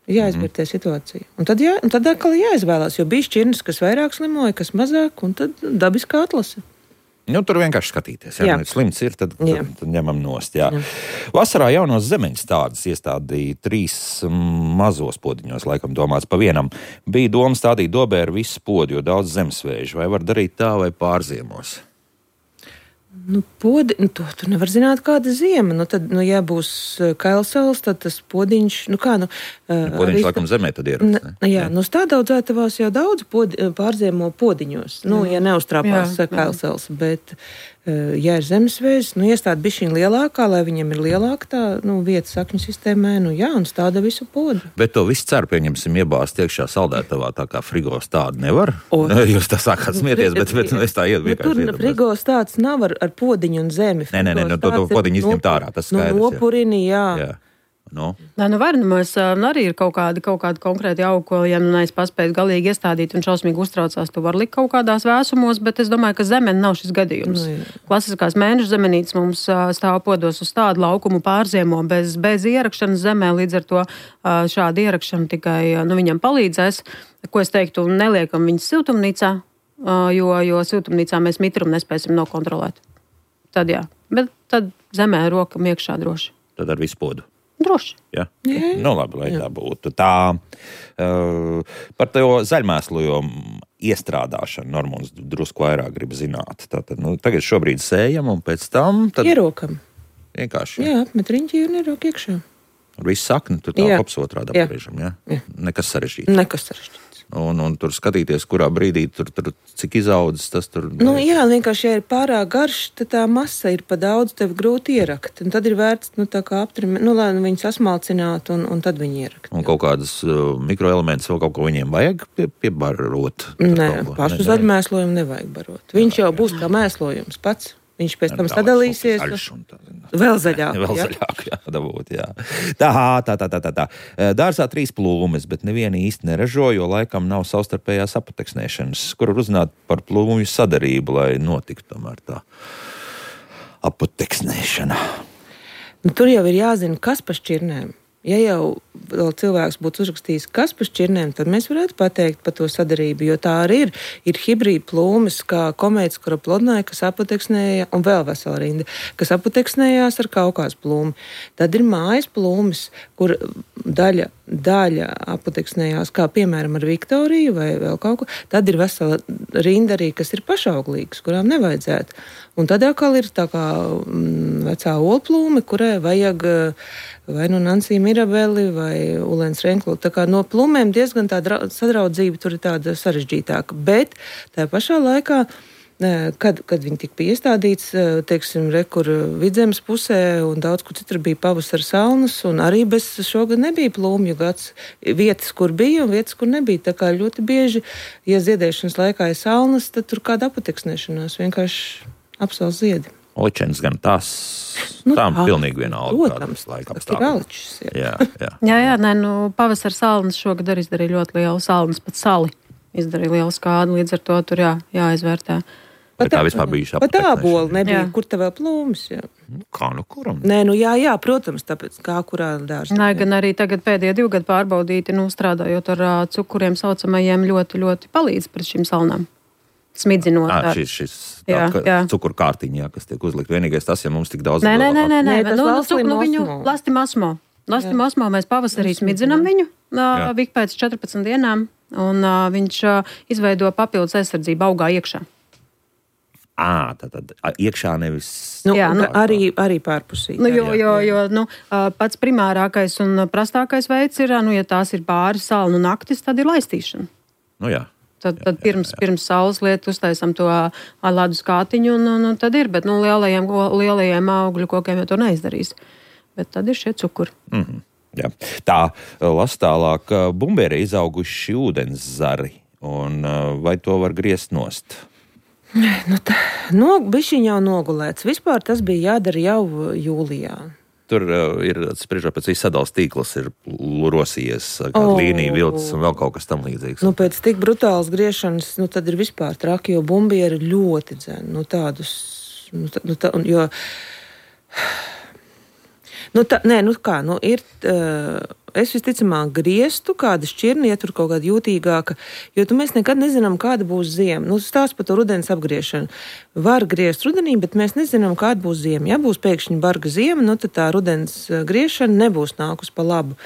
Jāizvērtē mm. situācija. Un tad, jā, un tad atkal jāizvēlās, jo bija šķirnes, kas vairāk slimoja, kas mazāk, un tad dabiskā atlase. Nu, tur vienkārši skatīties. Jā, Jā. ja slims ir, tad, Jā. tad, tad ņemam nost. Jā. Jā. Vasarā jaunos zemeņas tādas iestādīja trīs mm, mazos podiņos, laikam domāts pa vienam. Bija doma stādīt dobē ar visu podu, jo daudz zemesvēžu. Vai var darīt tā vai pārziemos? Nu, podi, nu, to tu nevar zināt, kāda ziema. Nu, tad, nu, ja būs kailsals, tad tas podiņš, nu kā, nu... Podiņš, laikam, zemē tad ir. Ne, jā, nu stādaudzētavās jau daudz podi, pārziemo podiņos, nu, ja neuztrāpās Jā, jā. kailsals, bet Ja ir zemesvējas, nu, iestāda bišķiņ lielākā, lai viņiem ir lielāka tā nu, vieta sakņu sistēmē, nu jā, un stāda visu podu. Bet to visu ceru, pieņemsim, iebāzt iekšā saldētavā, tā kā frigos tādu nevar. O. Jūs tā sākāt smieties, bet, bet nu, es tā iet vienkārši iedomājos. Tur frigos tāds nav ar, ar podiņu un zemi. Nē, nē, nē, no, to, to podiņu izņemt ārā, tas skaidrs. No nopurini, jā. jā. No. Nē, nu var, nu mēs arī ir kaut kādi, kaut kādi konkrēti augi, ko, ja nu neesi paspējis galīgi iestādīt un šausmīgi uztraucās, tu var likt kaut kādās vēsumos, bet es domāju, ka zemene nav šis gadījums. No, klasiskās mēnešu zemenītes mums stāv podos uz tādu laukumu pārziemo bez, bez ierakšanas zemē, līdz ar to šāda ierakšana tikai nu, viņam palīdzēs. Ko es teiktu, neliekam viņas siltumnīcā, jo, jo siltumnīcā mēs mitrumu nespēsim nokontrolēt. Tad jā, bet tad zemē rokam iekšā droši. Tad ar visu podu. Droši. Ja? Nu, labi, lai Jā. tā būtu. Tā, uh, par to zaļmēslojumu iestrādāšanu Normons drusku vairāk grib zināt. Tātad, nu, tagad šobrīd sējam un pēc tam... Tad... Ierokam. Vienkārši. Jā, apmet riņķi un ierok iekšā. Ar visu sakni, tur tā kops otrādā pagriežam, jā? Jā. Nekas sarežģīts. Nekas sarežģīts. Un, un tur skatīties, kurā brīdī tur, tur cik izaudzis, tas tur... Nu, jā, vienkārši, ja ir pārāk garš, tad tā masa ir pa daudz, tev grūti ierakt. Un tad ir vērts, nu, tā kā aptrimēt, nu, lai viņi sasmalcinātu, un, un tad viņi ierakt. Un kaut kādas uh, mikroelementus vēl kaut ko viņiem vajag pie, piebarot? Nē, pašu zaļmēslojumu nevajag barot. Viņš jau būs kā mēslojums pats. Viņš pēc tam sadalīsies. Tā, vēl zaļāk. Vēl jā? zaļāk, jā, dabūt, jā. Tā, tā, tā, tā, tā, tā. Dārzā trīs plūmes, bet neviena īsti neražo, jo laikam nav savstarpējās apateksnēšanas. Kur runāt par plūmju sadarību, lai notiktu tomēr tā apateksnēšana? Nu, tur jau ir jāzina, kas pa šķirnēm. Ja jau cilvēks būtu uzrakstījis, kas pa šķirnēm, tad mēs varētu pateikt par to sadarību, jo tā arī ir. Ir hibrīda plūmes, kā komētas koroplodnai, kas apateksnēja, un vēl vesela rinda, kas apateksnējās ar kaukās plūmi. Tad ir mājas plūmes, kur daļa, daļa apateksnējās, kā piemēram ar Viktoriju vai vēl kaut ko. Tad ir vesela rinda arī, kas ir pašauglīgas, kurām nevajadzētu. Un tad atkal ir tā kā mm, vecā olplūme, kurai vajag vai nu Nancy Mirabeli vai Ulens Renklu. Tā kā no plūmēm diezgan tā sadraudzība tur ir tāda sarežģītāka. Bet tā pašā laikā, kad, kad viņi tika piestādīts, teiksim, rekur Vidzemes pusē un daudz kur citur bija pavasara salnas, un arī bez šogad nebija plūmju gads. Vietas, kur bija un vietas, kur nebija. Tā kā ļoti bieži, ja ziedēšanas laikā ir salnas, tad tur kāda apateksnēšanās vienkārši apsals ziedi. Ličens gan tās, nu, tām tā, pilnīgi vienalga. Protams, tas ir aličs. Jā, jā. jā, jā, nē, nu, pavasara salnas šogad arī izdarīja ļoti lielu salnas, pat sali izdarīja lielu skādu, līdz ar to tur jā, jāizvērtē. Bet tā vispār bijuši apateksnēšana. Pat āboli nebija, jā. Kur te vēl plūmas, jā. Kā nu kuram? Nē, nu jā, jā, protams, tāpēc kā kurā dārzā. Nē, gan arī tagad pēdējie divi gadi pārbaudīti, nu, strādājot ar uh, cukuriem saucamajiem ļoti, ļoti palīdz pret šīm salnām. Smidzinot. À, šis šis jā, tā, jā. Cukuru kārtiņā, kas tiek uzlikt. Vienīgais tas, ja mums tik daudz... Nē, nē, nē, nē, nē, nē, nu, nu, nu, viņu lastimosmo. Lastimosmo mēs pavasarī smidzinam viņu, uh, vik pēc četrpadsmit dienām, un uh, viņš uh, izveido papildus aizsardzību augā iekšā. Ā, tad, tad iekšā nevis... Nu, jā, nu, arī, arī pārpusī. Nu, jo, jo, jo nu, pats primārākais un prastākais veids ir, nu, ja tās ir pāri salnu naktis, tad ir laistīšana. Nu jā. Tad, tad pirms, pirms saules lietu uztaisam to ledus kātiņu, un, un, un tad ir, bet nu, lielajiem, lielajiem augļu kokiem jau to neizdarīs. Bet tad ir šie cukuri. Mm-hmm, jā. Tā, las tālāk, bumbēri izauguši ūdens zari, un vai to var griezt nost? Nu, tā, no, bišķiņ jau nogulēts. Vispār tas bija jādara jau jūlijā. Tur uh, ir spriežot pēc visas sadalas tīklas, ir rosījies kāda oh. līnija, vilcis un vēl kaut kas tam līdzīgs. Nu, pēc tik brutālas griešanas, nu, tad ir vispār traki, jo bumbieri ir ļoti dzeni. Nu, tādus, nu, tā, nu, tā, jo... Nu, tā, nē, nu kā, nu, ir... Uh, es visticamāk griestu kādu šķirni, ja tur kaut kāda jūtīgāka, jo tu mēs nekad nezinām, kāda būs ziema. Nu, stāst par to rudens apgriešanu. Var griezt rudenī, bet mēs nezinām, kāda būs ziema. Ja būs pēkšņi barga ziema, nu, tad tā rudens griešana nebūs nākus pa labu.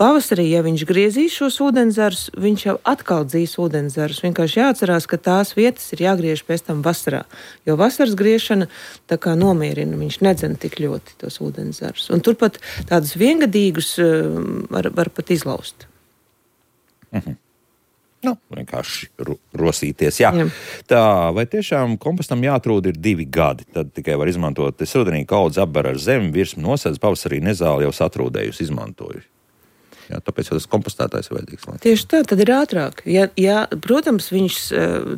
Pavasarī, ja viņš griezīs šos ūdenzarus, viņš jau atkal dzīs ūdenzarus. Vienkārši jāatcerās, ka tās vietas ir jāgriež pēc tam vasarā, jo vasaras griešana tā kā nomierina, viņš nedzen tik ļoti tos ūdenzarus. Un turpat tādus viengadīgus var, var pat izlaust. Mhm. Nu, vienkārši ro- rosīties. Jā. Jā. Tā, vai tiešām kompostam jāatrūda ir divi gadi? Tad tikai var izmantot. Es rudenī kaudzi apber ar zemi, virsmu nosēdz, pavasarī nezāli jau satrūdējusi, izmantoju. Jā, tāpēc jau tas kompostētājs ir vajadzīgs. Lai. Tieši tā, tad ir ātrāk. Ja, ja, protams, viņš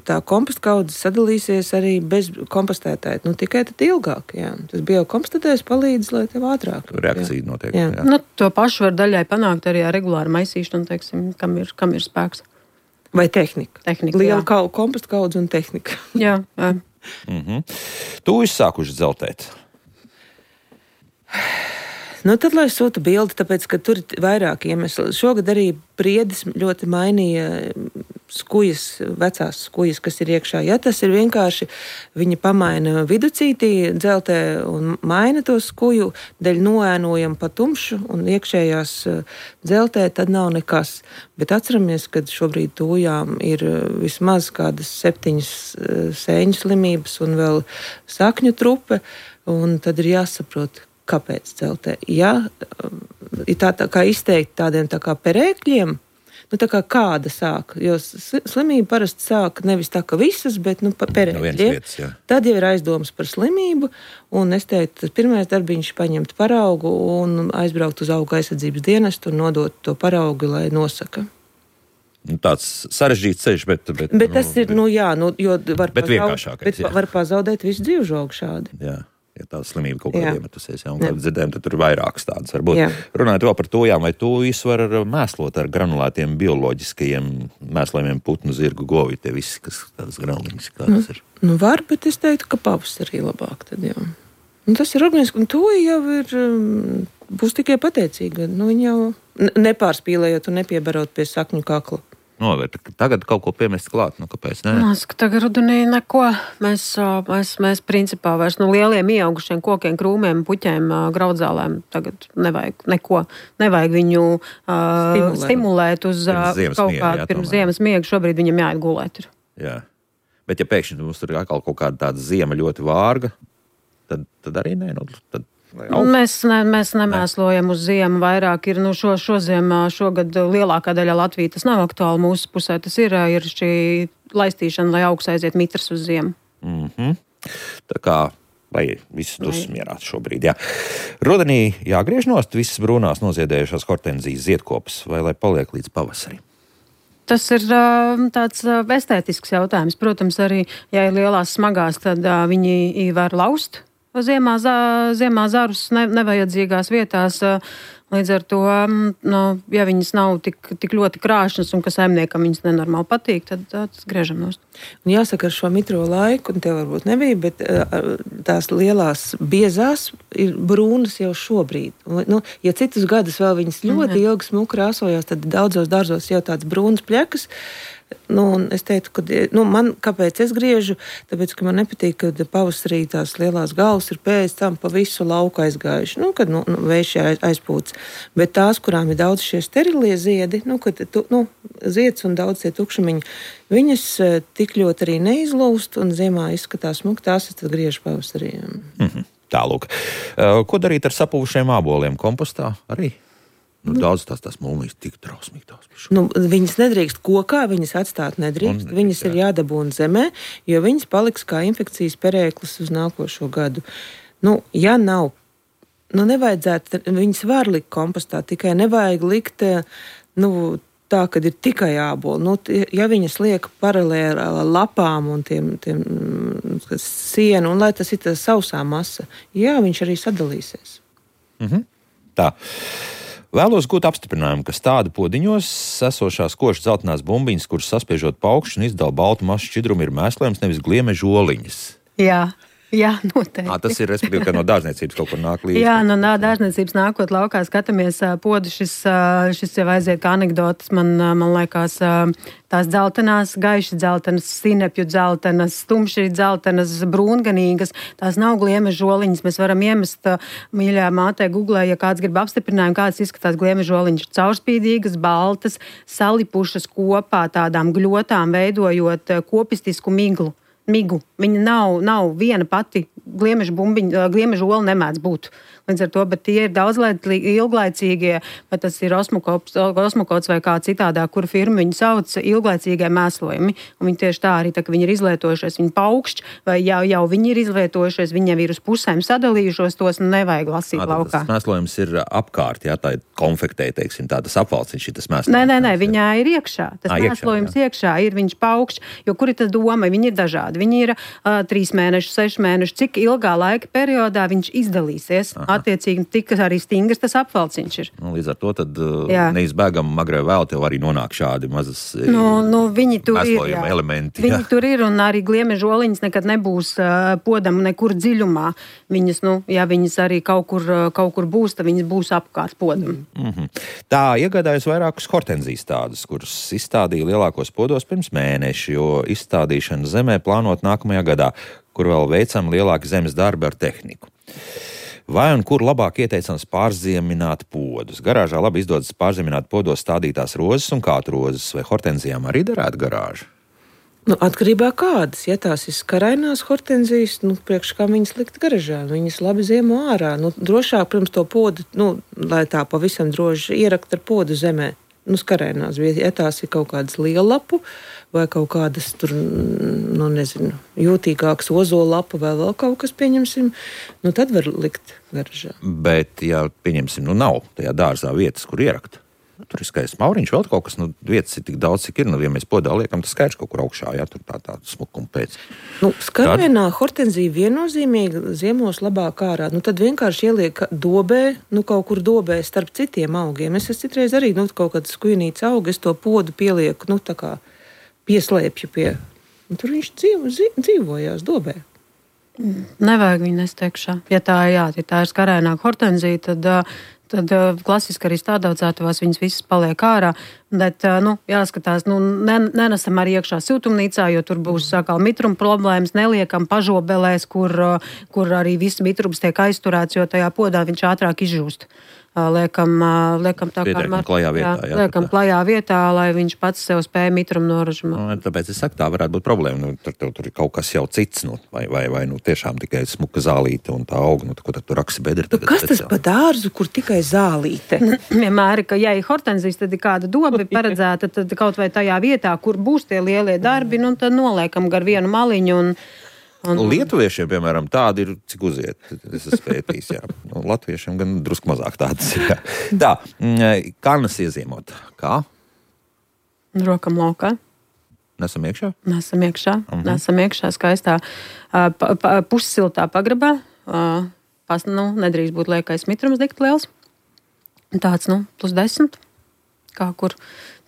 tā komposta kaudze sadalīsies arī bez kompostētāja. Nu, tikai tad ilgāk. Jā. Tas biokompostētājs palīdz, lai tev ātrāk. Reakcija jā. Notiek. Jā. Jā. Nu, to pašu var daļai panākt arī ar regulāru maisīšanu, teiksim, kam ir, kam ir spēks. Vai tehnika. Tehnika, Liela jā. kau, komposta kaudze un tehnika. Jā, jā. Mm-hmm. Tu izsākuši dzeltēt. Nu, tad, lai sūta bildi, tāpēc, ka tur ir vairāk iemesli. Šogad arī priedis ļoti mainīja skujas, vecās skujas, kas ir iekšā. Ja tas ir vienkārši, viņi pamaina viducītī dzeltē un maina to skuju, daļ noēnojam pa tumšu un iekšējās dzeltē, tad nav nekas. Bet atceramies, ka šobrīd tūjām ir vismaz kādas septiņas sēņu slimības un vēl sakņu trupe, un tad ir jāsaprot, kāpēc dzeltē. Ja ir tā, tā kā izteikti tādiem tā kā perēkļiem, nu tā kā kāda sāk, jo slimība parasti sāk nevis tā kā visas, bet nu pa perēkļiem. No tad jau ir aizdomas par slimību, un es teiktu, tas pirmais darbiņš paņemt paraugu un aizbraukt uz auga aizsardzības dienestu un nodot to paraugu, lai nosaka. Tāds sarežģīts ceļš, bet... Bet, bet tas nu, ir, nu jā, nu, jo var, bet pazaud, bet jā. var pazaudēt visu dzīvžogu šādi. Jā. Ja tāda slimība kaut kādā iemetusies, ja, un kā dzirdējām, tad tur ir vairākas tādas varbūt. Jā. Runājot vēl par tūjām, vai tūjas var mēslot ar granulētiem bioloģiskajiem mēslējumiem putnu, zirgu, govi, tie visi, kas tādas granuliņas, kādas ir? Nu var, bet es teiktu, ka pavasarī labāk tad jau. Un tas ir organiski, un tūja jau ir, būs tikai pateicīga. Nu, viņa jau nepārspīlējot un nepiebarot pie sakņu kakla. Novērt, tagad kaut ko piemest klāt, nu kāpēc ne? Mēs, ka tagad rudenī neko. Mēs, mēs, mēs principā vairs no lieliem ieaugušiem kokiem, krūmiem, puķiem, graudzālēm tagad nevajag neko. Nevajag viņu uh, stimulēt uz pirms kaut miega, kādu jā, pirms tomēr. ziemas miega. Šobrīd viņam jāiet gulēt. Ir. Jā. Bet ja pēkšņi mums tur ir atkal kaut kāda tāda ziema ļoti vārga, tad, tad arī nē, nu, tad... Mēs, ne, mēs nemēslojam uz ziemu vairāk. Ir, nu, šo, šo ziemā, šogad lielākā daļa Latvijas tas nav aktuāli mūsu pusē. Tas ir, ir šī laistīšana, lai augs aiziet mitrs uz ziemu. Mm-hmm. Tā kā, lai viss dusmas mierā šobrīd, jā. Rudenī jāgriež nost visas brūnās noziedējušās hortenzijas ziedkopas, vai lai paliek līdz pavasarim? Tas ir tāds estētisks jautājums. Protams, arī, ja ir lielās smagās, tad viņi var laust. Ziemā, ziemā zarus ne, nevajadzīgās vietās, līdz ar to, nu, ja viņas nav tik, tik ļoti krāšņas un ka saimniekam viņas nenormāli patīk, tad tas griežam nost. Un jāsaka, ar šo mitro laiku, un tev varbūt nebija, bet tās lielās biezās ir brūnas jau šobrīd. Nu, ja citus gadus vēl viņas ļoti mm. ilgi smuki krāsojās, tad daudzos dārzos jau tāds brūnas pļekas. Nu, es teiktu, ka nu, man, kāpēc es griežu, tāpēc, ka man nepatīk, kad pavasarī tās lielās galvas ir pēc tam pa visu lauku aizgājuši, nu, kad nu, nu, vējš aiz, aizpūts. Bet tās, kurām ir daudz šie sterilie ziedi, nu, kad tu, nu, zieds un daudz tie tukšumiņi, viņas tik ļoti arī neizlūst un ziemā izskatās smuk, tās es tad griežu pavasarī. Mm-hmm. Tālūk. Ko darīt ar sapuvušiem āboliem kompostā arī? Nu, daudz tās tās mūlnīs tik trausmīgi tās. Nu, viņas nedrīkst kokā, viņas atstāt nedrīkst. Un, viņas jā. ir jādabūna zemē, jo viņas paliks kā infekcijas perēklis uz nākošo gadu. Nu, ja nav, nu, nevajadzētu, viņas var likt kompostā, tikai nevajag likt, nu, tā, kad ir tikai āboli. Nu, ja viņas liek paralēli ar lapām un tiem, tiem sienu, un lai tas ir tā sausā masa, jā, viņš arī sadalīsies. Mhm. Tā. Vēlos gūt apstiprinājumu, ka stāda podiņos esošās košas zeltainās bumbiņas, kuras saspiežot paukšķi un izdala baltu masu šķidrumu, ir mēslējums, nevis gliemežu oliņas. Jā. Jā, noteikti. À, tas ir, respektīvi, ka no dārzniecības kaut kur nāk līdzi. Jā, no dārzniecības nākot laukā skatāmies podu, šis, šis jau aiziet kā anekdotas, man, man liekas, tās dzeltenās, gaiši dzeltenas, sinepju dzeltenas, stumši dzeltenas, brūnganīgas, tās nav gliemežu oliņas. Mēs varam iemest, mīļā mātē, Googlē, ja kāds grib apstiprinājumu, kāds izskatās gliemežu oliņas, caurspīdīgas, baltas, salipušas kopā tādām gļotām, veidojot kopistisku miglu. Migu. Viņa nav, nav viena pati gliemeža bumbiņa, gliemeža ola nemēdz būt. Līdz ar to, bet tie ir daudz ilglaicīgie, vai tas ir osmokots vai kā citādā, kur firma viņu sauc ilglaicīgie mēslojumi. Un viņi tieši tā arī, tā, ka viņi ir izlietojušies, viņi paukšķi, vai jau, jau viņi ir izlietojušies, viņi jau ir uz pusēm sadalījušos, tos nevajag lasīt Nā, laukā. Tas mēslojums ir apkārt, jā, tā ir konfektē, teiksim, tā tas apvalciņš ir tas mēslojums. Nē, nē, nē, viņā ir iekšā. Tas Ā, mēslojums iekšā, iekšā ir, viņš paukšķi, jo kur ir tas doma, viņi ir dažādi. Viņi ir uh, trīs mēneši, seši mēneši, cik ilgā laika periodā viņš izdalīsies. Aha. Attiecīgi, tik arī stingrs tas apvalciņš ir. Nu, līdz ar to tad jā. Neizbēgam agrē vēl tev arī nonāk šādi mazas nu, nu, viņi tur ir, elementi. Viņi jā. tur ir un arī gliemežu oliņas nekad nebūs uh, podam nekur dziļumā. Viņas, nu, ja viņas arī kaut kur, uh, kaut kur būs, tad viņas būs apkārt podam. Mm-hmm. Tā iegādājas vairākus hortenzijas tādus, kuras izstādīja lielākos podos pirms mēneša, jo izstādīšana zemē plānot nākamajā gadā, kur vēl veicam lielāki zemes darbi ar tehniku. Vai un kur labāk ieteicams pārziemināt podus? Garāžā labi izdodas pārziemināt podos stādītās rozes un kātu rozes, vai hortenzijām arī derētu garāžu? Nu, atkarībā kādas, ja tās ir skarainās hortenzijas, nu, priekš kā viņas likt garažā, viņas labi ziemo ārā. Nu, drošāk, pirms to podu, nu, lai tā pavisam droši ierakt ar podu zemē. Nu, skarainās, ja tās ir kaut kādas liellapu vai kaut kādas tur, nu, nezinu, jūtīgākas ozolapu vai vēl kaut kas, pieņemsim, nu, tad var likt garažā. Bet, ja, pieņemsim, nu, nav tajā dārzā vietas, kur ierakt. Tur ir skaists mauriņš, vēl kaut kas, nu, vietas ir tik daudz, cik ir, nu, ja mēs podā liekam, tas skaidrs kaut kur augšā, jā, tur tā tā smukuma pēc. Nu, skarainā hortenzija viennozīmīgi ziemos labāk ārā, nu, tad vienkārši ieliek dobē, nu, kaut kur dobē starp citiem augiem. Es esmu citreiz arī, nu, kaut kāds skujnīts augi, es to podu pielieku, nu, tā kā pieslēpju pie, un tur viņš dzīvo, dzīvojās dobē. Nevajag viņu nest iekšā. Ja tā, jā, ja tā ir skarainā hortenzija, tad... Tad uh, klasiski arī stādaudzētavās viņas visas paliek ārā, bet, uh, nu, jāskatās, nu, ne, nenesam arī iekšā siltumnīcā, jo tur būs sākal mitruma problēmas, neliekam pažobelēs, kur, uh, kur arī viss mitrums tiek aizturēts, jo tajā podā viņš ātrāk izžūst. Uh, liekam, uh, liekam tā kā mar... klajā vietā, jā, jā, liekam klajā vietā, lai viņš pats sev spēja mitrumu noražamāt. Nu, tāpēc es saku, tā varētu būt problēma. Nu, tur, tur, tur ir kaut kas jau cits, nu, vai, vai, vai nu, tiešām tikai smuka zālīte un tā auga, nu, ko tad tur raksa bedri. Nu, kas tas pa dārzu, kur tikai zālīte? Vienmēr, ka ja ir hortenzijas, tad ir kāda doba paredzēta, tad kaut vai tajā vietā, kur būs tie lielie darbi, nu, tad noliekam gar vienu maliņu un Un... Lietuviešiem, piemēram, tādi ir, cik uziet, es esmu pētījis, jā. Un latviešiem gan drusku mazāk tādas ir, jā. Tā, karnas iezīmot. Kā? Rokam laukā. Nesam iekšā? Nesam iekšā. Uh-huh. Nesam iekšā skaistā pa, pa, pussiltā pagrabā. Pas, nu, nedrīkst būt liekais mitrums dikt liels. Tāds, nu, plus desmit. Kā kur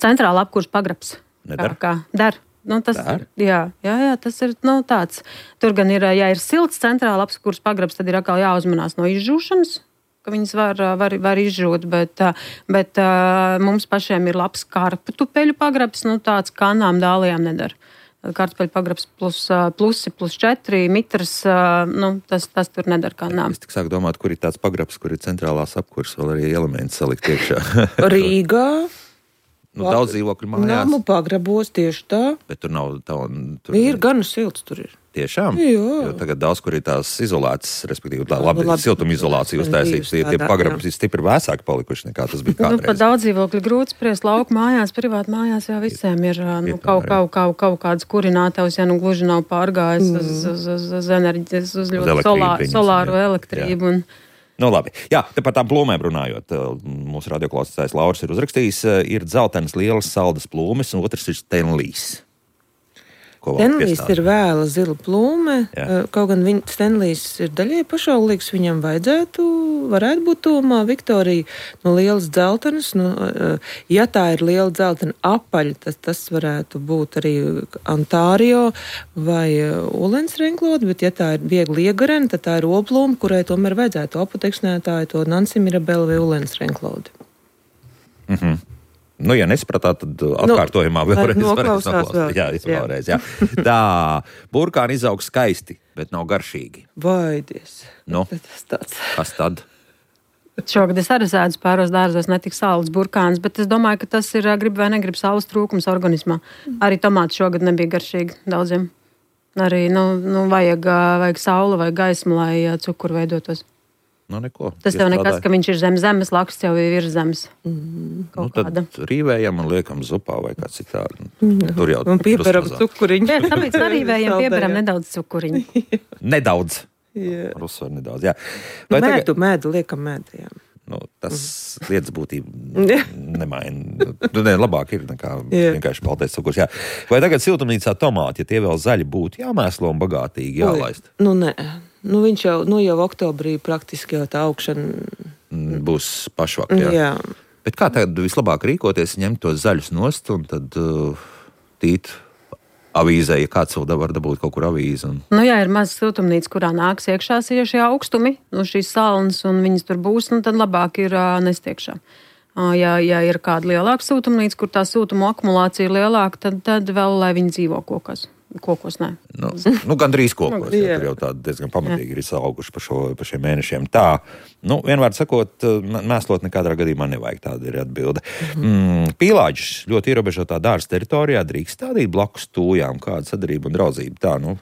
centrāla apkurs pagrabs. Nedar? Kā, kā dar. Nu, tas, jā, jā, jā, tas ir nu, tāds. Tur gan ir, ja ir silts centrāla apskurs pagrabs, tad ir atkal jāuzmanās no izžūšanas, ka viņas var, var, var izžūt, bet, bet mums pašiem ir labs kartupeļu pagrabs, nu, tāds kanām dālijām nedara. Kartupeļu pagrabs plus, plusi, plus četri, mitras, nu, tas, tas tur nedara kanām. Es tik sāku domāt, kur ir tāds pagrabs, kur ir centrālās apkurs, vēl arī elementi salikt iekšā. Rīgā. Nu, daudz dzīvokļu mājās. Namu pagrabos tieši tā. Bet tur nav tā un... Tur... Ir gan silts tur ir. Tiešām? Jā. Jo tagad daudz, kur ir tās izolētas, respektīvi tā labi, labi siltumizolācija uztaisīta, tie, tie pagrabi ir stipri vēsāki palikuši nekā tas bija kādreiz. Nu, pat daudz dzīvokļu grūti spriest lauku mājās, privāti mājās jau visiem ir nu, kaut, kaut, kaut, kaut kāds kurinātavs, ja nu gluži nav pārgājis mm. uz, uz, uz, uz enerģijas, uz ļoti solā, solāru elektrību. Un, Nu, labi. Jā, te par tām plūmēm runājot. Mūsu radioklausītājs Lauris ir uzrakstījis, ir dzeltenas lielas saldas plūmes, un otrs ir Stenlijs. Stenlijs ir vēla zila plūme, jā. Kaut gan viņa Stenlijs ir daļai pašaulīgs, viņam vajadzētu, varētu būt tūmā Viktorija, no lielas dzeltenas, nu, ja tā ir liela dzeltena apaļa, tas, tas varētu būt arī Ontārio vai Ulensrenklode, bet ja tā ir viegli iegarena, tad tā ir oplūme, kurai tomēr vajadzētu apoteksnētāju to Nansi Mirabela vai Ulensrenklode. Mhm. Nu, ja nesapratāt, tad atkārtojumā nu, vēlreiz noklausās vēl. Jā, vēlreiz, jā. Tā, burkāni izaug skaisti, bet nav garšīgi. Vaidies. Nu, tas tāds. Kas tad? Šogad es arī sēdzu pāros dārzos, netik saules burkāns, bet es domāju, ka tas ir grib vai negrib saules trūkums organismā. Arī tomāti šogad nebija garšīgi daudziem. Arī, nu, nu vajag, vajag saule vai gaisma, lai cukuru veidotos. Nu, neko. Tas tev nekas, ka viņš ir zem zemes, laksts jau ir virs zemes. Mm. Nu, tad kāda. Rīvējam un liekam zupā vai kā citādi. Mm. Tur jau un pieperam cukuriņu. Jā, tāpēc arīvējam pieperam nedaudz cukuriņu. Nedaudz. Jā. Ar uzsvaru nedaudz, jā. Vai mēdu, tagad... mēdu, liekam mēdu, jā. Nu, tas mm. lietas būtība nemaina. Nu, ne, labāk ir nekā yeah. vienkārši baltais cukurs. Jā. Vai tagad siltumnīcā tomāti, ja tie vēl zaļi būtu, jāmēslo un bagātīgi jālaist? Nu, nē. Nu, viņš jau, nu, jau oktobrī praktiski jau tā augšana būs pašvak, jā. jā. Bet kā tad vislabāk rīkoties, ņemt tos zaļus nost un tad uh, tīt avīzē, ja kāds vēl var dabūt kaut kur avīzi? Un... Nu, jā, ir maz siltumnīca, kurā nāks iekšā šie augstumi, nu, šīs salnas, un viņas tur būs, nu, tad labāk ir uh, nest iekšā. Uh, ja, ja ir kāda lielāka siltumnīca, kur tā siltuma akumulācija ir lielāka, tad, tad vēl, lai viņi dzīvo kokos. Kokos, nē. Nu, nu gandrīz kokos, jā, tur jau tādi diezgan pamatīgi ir izauguši par, šo, par šiem mēnešiem. Tā, nu, vienvārds sakot, mēslot nekādā gadījumā nevajag, tāda ir atbilde. Mm, pīlāģis ļoti ierobežotā dārza teritorijā drīkst stādīt blakus tūjām, kāda sadarība un draudzība. Tā, nu.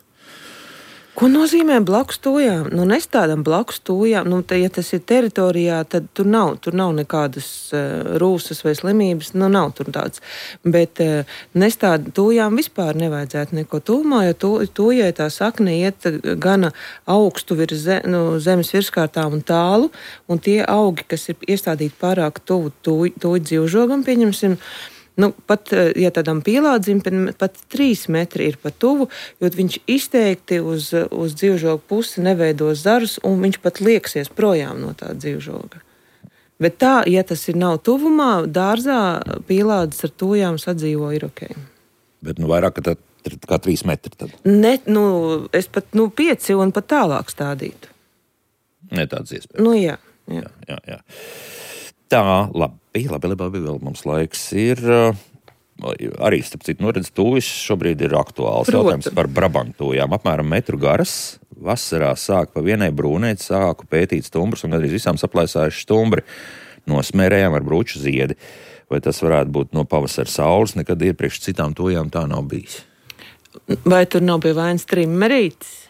Ko nozīmē blakus tūjām? Nu, nestādām blakus tūjām. Nu, te, ja tas ir teritorijā, tad tur nav, tur nav nekādas uh, rūsas vai slimības. Nu, nav tur tāds. Bet uh, nestād tūjām vispār nevajadzētu neko tūmā, jo tū, tūjai tā sakne iet gana augstu virs ze, nu, zemes virskārtām un tālu. Un tie augi, kas ir iestādīti pārāk tuvu tūj, tūj dzīvžogam, pieņemsim, nu, pat, ja tādam pīlādzim, pat trīs metri ir pa tuvu, jo viņš izteikti uz, uz dzīvžogu pusi neveidos zarus, un viņš pat lieksies projām no tā dzīvžoga. Bet tā, ja tas ir nav tuvumā, dārzā pīlādzis ar tūjām sadzīvo ir ok. Bet, nu, vairāk kā, tā, kā trīs metri tad? Ne, nu, es pat, nu, pieci un pat tālāk stādītu. Ne tāds iespējas. Nu, jā. Jā, jā, jā. jā. Tā, labi. Labi, labi, labi, vēl mums laiks ir. Arī, starp citu, noredz tūvis šobrīd ir aktuāls. Protams. Jautājums par brabantūjām. Apmēram metru garas. Vasarā sāk pa vienai brūnēt, sāku pētīt stumbrus un gandrīz visām saplēsājuši stumbri. Nosmērējām ar brūču ziedi. Vai tas varētu būt no pavasara saules? Nekad iepriekš citām tūjām tā nav bijis. Vai tur nav pie vainas trimmerītis?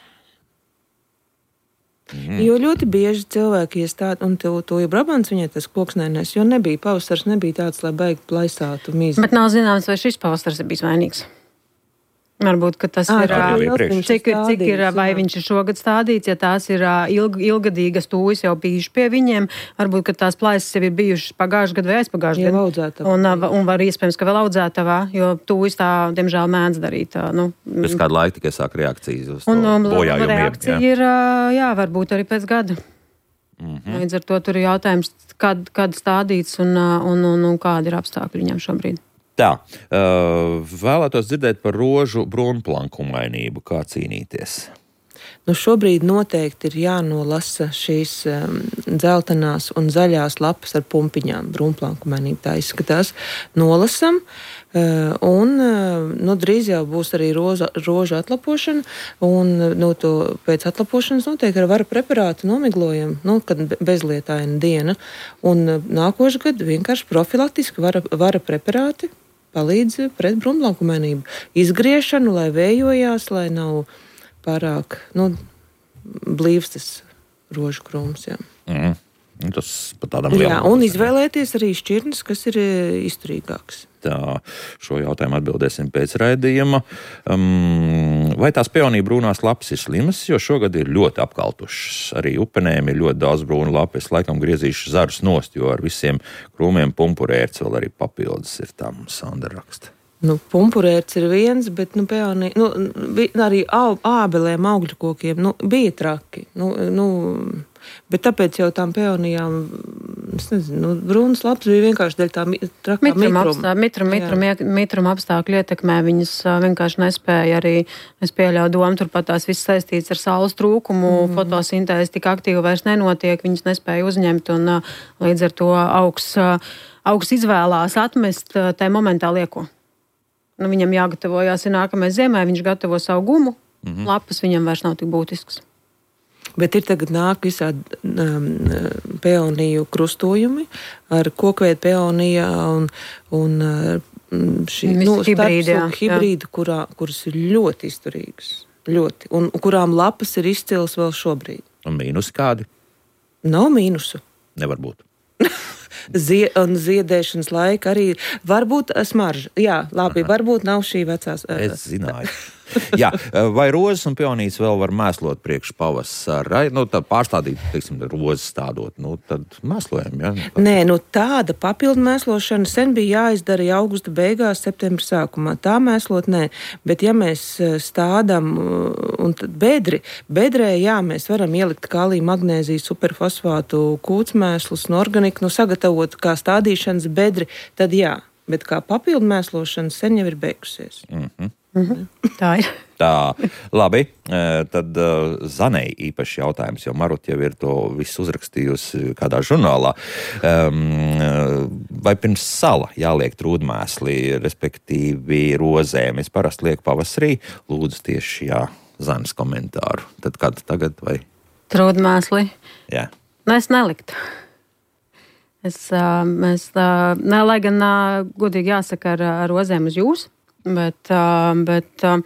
Mm. Jo ļoti bieži cilvēki iestāda, un to, to jau brabants viņai tas koks nenēs, jo nebija pavasars, nebija tāds, lai baigi plaisātu mīzi. Bet nav zināms, vai šis pavasars ir bijis vainīgs. Varbūt, ka tas à, ir, cik, cik ir, vai viņš ir šogad stādīts, ja tās ir ilg, ilgadīgas tūjas jau bijuši pie viņiem, varbūt, ka tās plaisas jau ir bijušas pagājuši gadu vai aizpagājuši gadu. Un, un var iespējams, ka vēl audzētavā, jo tūjas tā, diemžēl, mēdz darīt. Nu, pēc kāda laika tikai sāk reakcijas uz to un, bojājumiem. Reakcija jā. ir, jā, varbūt arī pēc gada. Mm-hmm. Līdz ar to tur ir jautājums, kad, kad stādīts un, un, un, un kādi ir apstākļi viņam šobrīd. Tā, uh, vēlētos dzirdēt par rožu brūnplankumainību, kā cīnīties. Nu, šobrīd noteikti ir jānolasa šīs um, dzeltenās un zaļās lapas ar pumpiņām. Brūnplankumainība tā izskatās. Nolasam, uh, un uh, nu, drīz jau būs arī roza, roža atlapošana, un nu, to pēc atlapošanas noteikti ar vara preparātu nomiglojam, nu, kad bezlietaina diena. Un uh, nākošu gadu vienkārši profilaktiski vara, vara preparāti palīdz pret brūnplankumainību. Izgriešanu, lai vējojās, lai nav pārāk, nu, blīvs tas rožu krūms, jā. Mm. Tas pat tādam lielam. Jā, un izvēlēties arī šķirnes, kas ir izturīgāks. Tā, šo jautājumu atbildēsim pēc raidījuma. Um, vai tās peonija brūnās lapas ir slimas, jo šogad ir ļoti apkaltušas. Arī upenēm ir ļoti daudz brūnu lapu. Es laikam griezīšu zarus nost, jo ar visiem krūmiem pumpurērts vēl arī papildus ir tam Sandra raksta. Nu, pumpurērts ir viens, bet nu, peonija, nu, arī au, ābelēm, augļu kokiem, nu, bija traki. Nu, nu, bet tāpēc jau tām peonijām, es nezinu, nu, brūnas lapas bija vienkārši dēļ tā trakā mitruma. Mitrum, mitrum, mitrum, mitrum apstākļu ietekmē viņas vienkārši nespēja arī, es pieļauju domu, turpat tās viss saistīts ar saules trūkumu, mm. fotosintēze tik aktīvi vairs nenotiek, viņas nespēja uzņemt un līdz ar to augs, augs izvēlās atmest tai momentā lieko. Nu, viņam jāgatavojās ir nākamais ziemai, viņš gatavo savu gumu, mm-hmm. lapas viņam vairs nav tik būtisks. Bet ir tagad nāk visādi um, peoniju krustojumi ar kokveidu peonijā un, un šī nu, hibrīdu, kurā, kuras ir ļoti izturīgas. Ļoti. Un kurām lapas ir izcils vēl šobrīd. Un mīnus kādi? Nav mīnusu. Nevar būt. Zie, un ziedēšanas laika arī var būt smarža. Jā, labi, Aha. varbūt nav šī vecās. Es zināju. Jā, vai rozes un pionītes vēl var mēslot priekš pavasara? Nu, tad pārstādīt, teiksim, rozes stādot, nu, tad mēslojam, jā? Ja? Nē, nu tāda papildu mēslošana sen bija jāizdara jau augusta beigās, septembra sākumā. Tā mēslot, nē. Bet ja mēs stādam un tad bedri, bedrē, jā, mēs varam ielikt kāliju, magnēziju, superfosfātu, kūtsmēslus un organiku, nu, sagatavot kā stādīšanas bedri, tad jā. Bet kā papildu mēslošana sen jau ir beigusies. Mhm. Mhm. Tā ir. Tā, labi, tad uh, Zanei īpaši jautājums, jo Marut jau ir to visu uzrakstījusi kādā žurnālā. Um, vai pirms sala jāliek trūdmēsli, respektīvi rozēm? Es parasti lieku pavasarī, lūdzu tieši, jā, Zanes komentāru. Tad kad tagad vai? Trūdmēsli? Jā. Nu, es neliktu. Es, uh, mēs, uh, ne, lai gan uh, godīgi jāsaka ar, ar rozēm uz jūs, bet, uh, bet uh,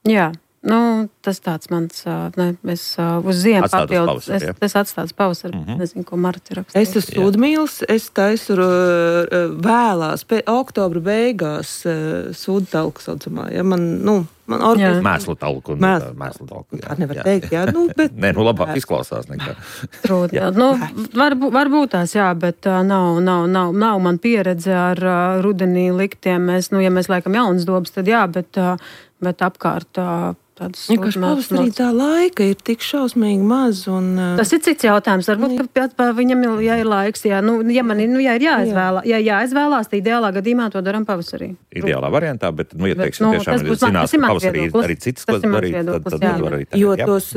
jā, nu, tas tāds mans, uh, ne, es uh, uz ziemu papildus, es, es atstātu pavasaru, mm-hmm. nezinu, ko Marta raksta. Es esmu sūdmīlis, es taisu uh, vēlās, pēc oktobra beigās uh, sūdu talku saucamā, ja man, nu, man organizē. Mēslu talku. Mēslu, mēslu talku, jā. Tā nevar jā. teikt, jā, nu, bet. Nē, nu, labāk izklausās nekā. Trūd, jā. Nu, varbūt, varbūt tās, jā, bet uh, nav, nav, nav, nav man pieredze ar uh, rudenī liktiem. Mēs, nu, ja mēs laikam jaunas dobas, tad jā, bet, uh, bet apkārt uh, tādas vienkārši pavasarī tā laika ir tik šausmīgi maz. Un, uh... Tas ir cits jautājums. Varbūt, ka pēc, viņam ir, ja ir laiks, jā, nu, ja man ir, nu, ja ir jāizvēlā, ja jāizvēlās, tad ideālā gadījumā to daram pavasarī. Ideālā variantā, bet, nu, ja teiksim, nu, tiešām ir zinās, ka pavasarī arī citas, ko darīt, tad, tad, tad var arī tā. Jo tos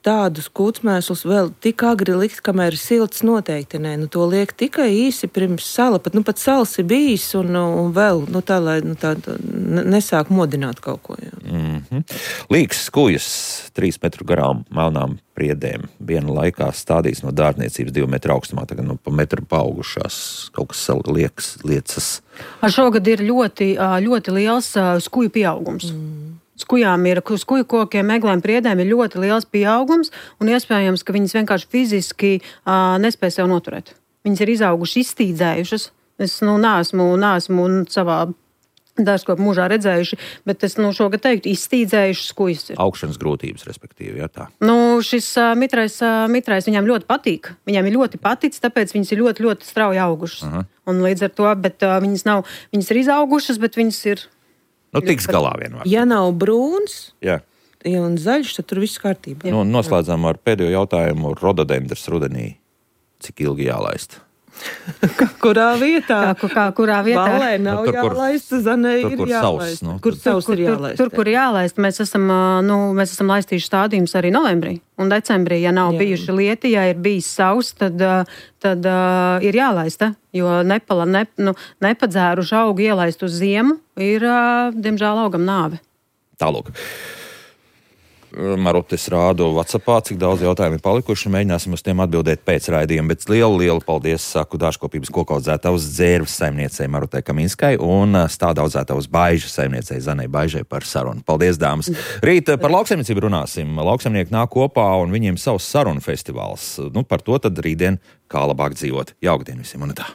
tādus kūtsmēslus vēl tik agri likt, kamēr ir silts noteikti, nē, nu, to liek tikai īsi pirms sala, pat, nu, pat sals ir bijis un, un vēl, nu, tā, lai, nu, tā, nesāk modināt kaut ko, jā. Mm-hmm. Līgas skujas, trīs metru garām melnām priedēm. Viena laikā stādīts no dārzniecības divu metru augstumā, tagad nu, pa metru paaugušās, kaut kas liekas, liecas. Šogad ir ļoti, ļoti liels skuju pieaugums. Mm. Skujām ir, skuju kokiem, meglēm, priedēm ir ļoti liels pieaugums, un iespējams, ka viņas vienkārši fiziski uh, nespēj sev noturēt. Viņas ir izauguši, izstīdzējušas. Es, nu, neesmu, neesmu savā dārzkopu mūžā redzējuši, bet es nu, šogad teiktu, izstīdzējuši skujas ir. Augšanas grūtības, respektīvi, jā tā. Nu, šis uh, mitrais, uh, mitrais viņam ļoti patīk. Viņam ir ļoti paticis, tāpēc viņas ir ļoti, ļoti strauji augušas. Uh-huh. Un līdz ar to, bet uh, viņas nav, viņas ir izaugušas, bet viņas ir... Nu, tiks galā vienmēr. Ja nav brūns, jā. Ja un zaļš, tad tur viss kārtībā. Nu, noslēdzām ar pēdējo jautājumu rododendrs rudenī. Cik ilgi jālaist? Kurā vietā? Kā, kā, kurā vietā? Valē nav nu, tur, jālaist, Zanei tur, ir kur jālaist. Savs, nu, kur savs ir jālaist? Tur, tur, kur jālaist, mēs esam, nu, mēs esam laistījuši stādījumus arī novembrī un decembrī. Ja nav Jā. bijuši lieti, ja ir bijis savs, tad, tad uh, ir jālaista, jo nepala, ne, nu, nepadzēruši augu ielaist uz ziemu ir, uh, diemžēl, augam nāve. Tālūk. Marut, es rādu WhatsAppā, cik daudz jautājumu ir palikuši. Mēģināsim uz tiem atbildēt pēc raidījuma. Bet lielu, lielu paldies saku dārzkopības koku audzētavas dzērves saimniecei Marutai Kaminskai un stāda audzētavas baiža saimniecei Zanei Baižai par sarunu. Paldies, dāmas! Rīt par lauksaimniecību runāsim. Lauksaimnieki nāk kopā un viņiem savs sarunu festivāls. Nu, par to tad rītdien kā labāk dzīvot. Jauktdien visiem un tā!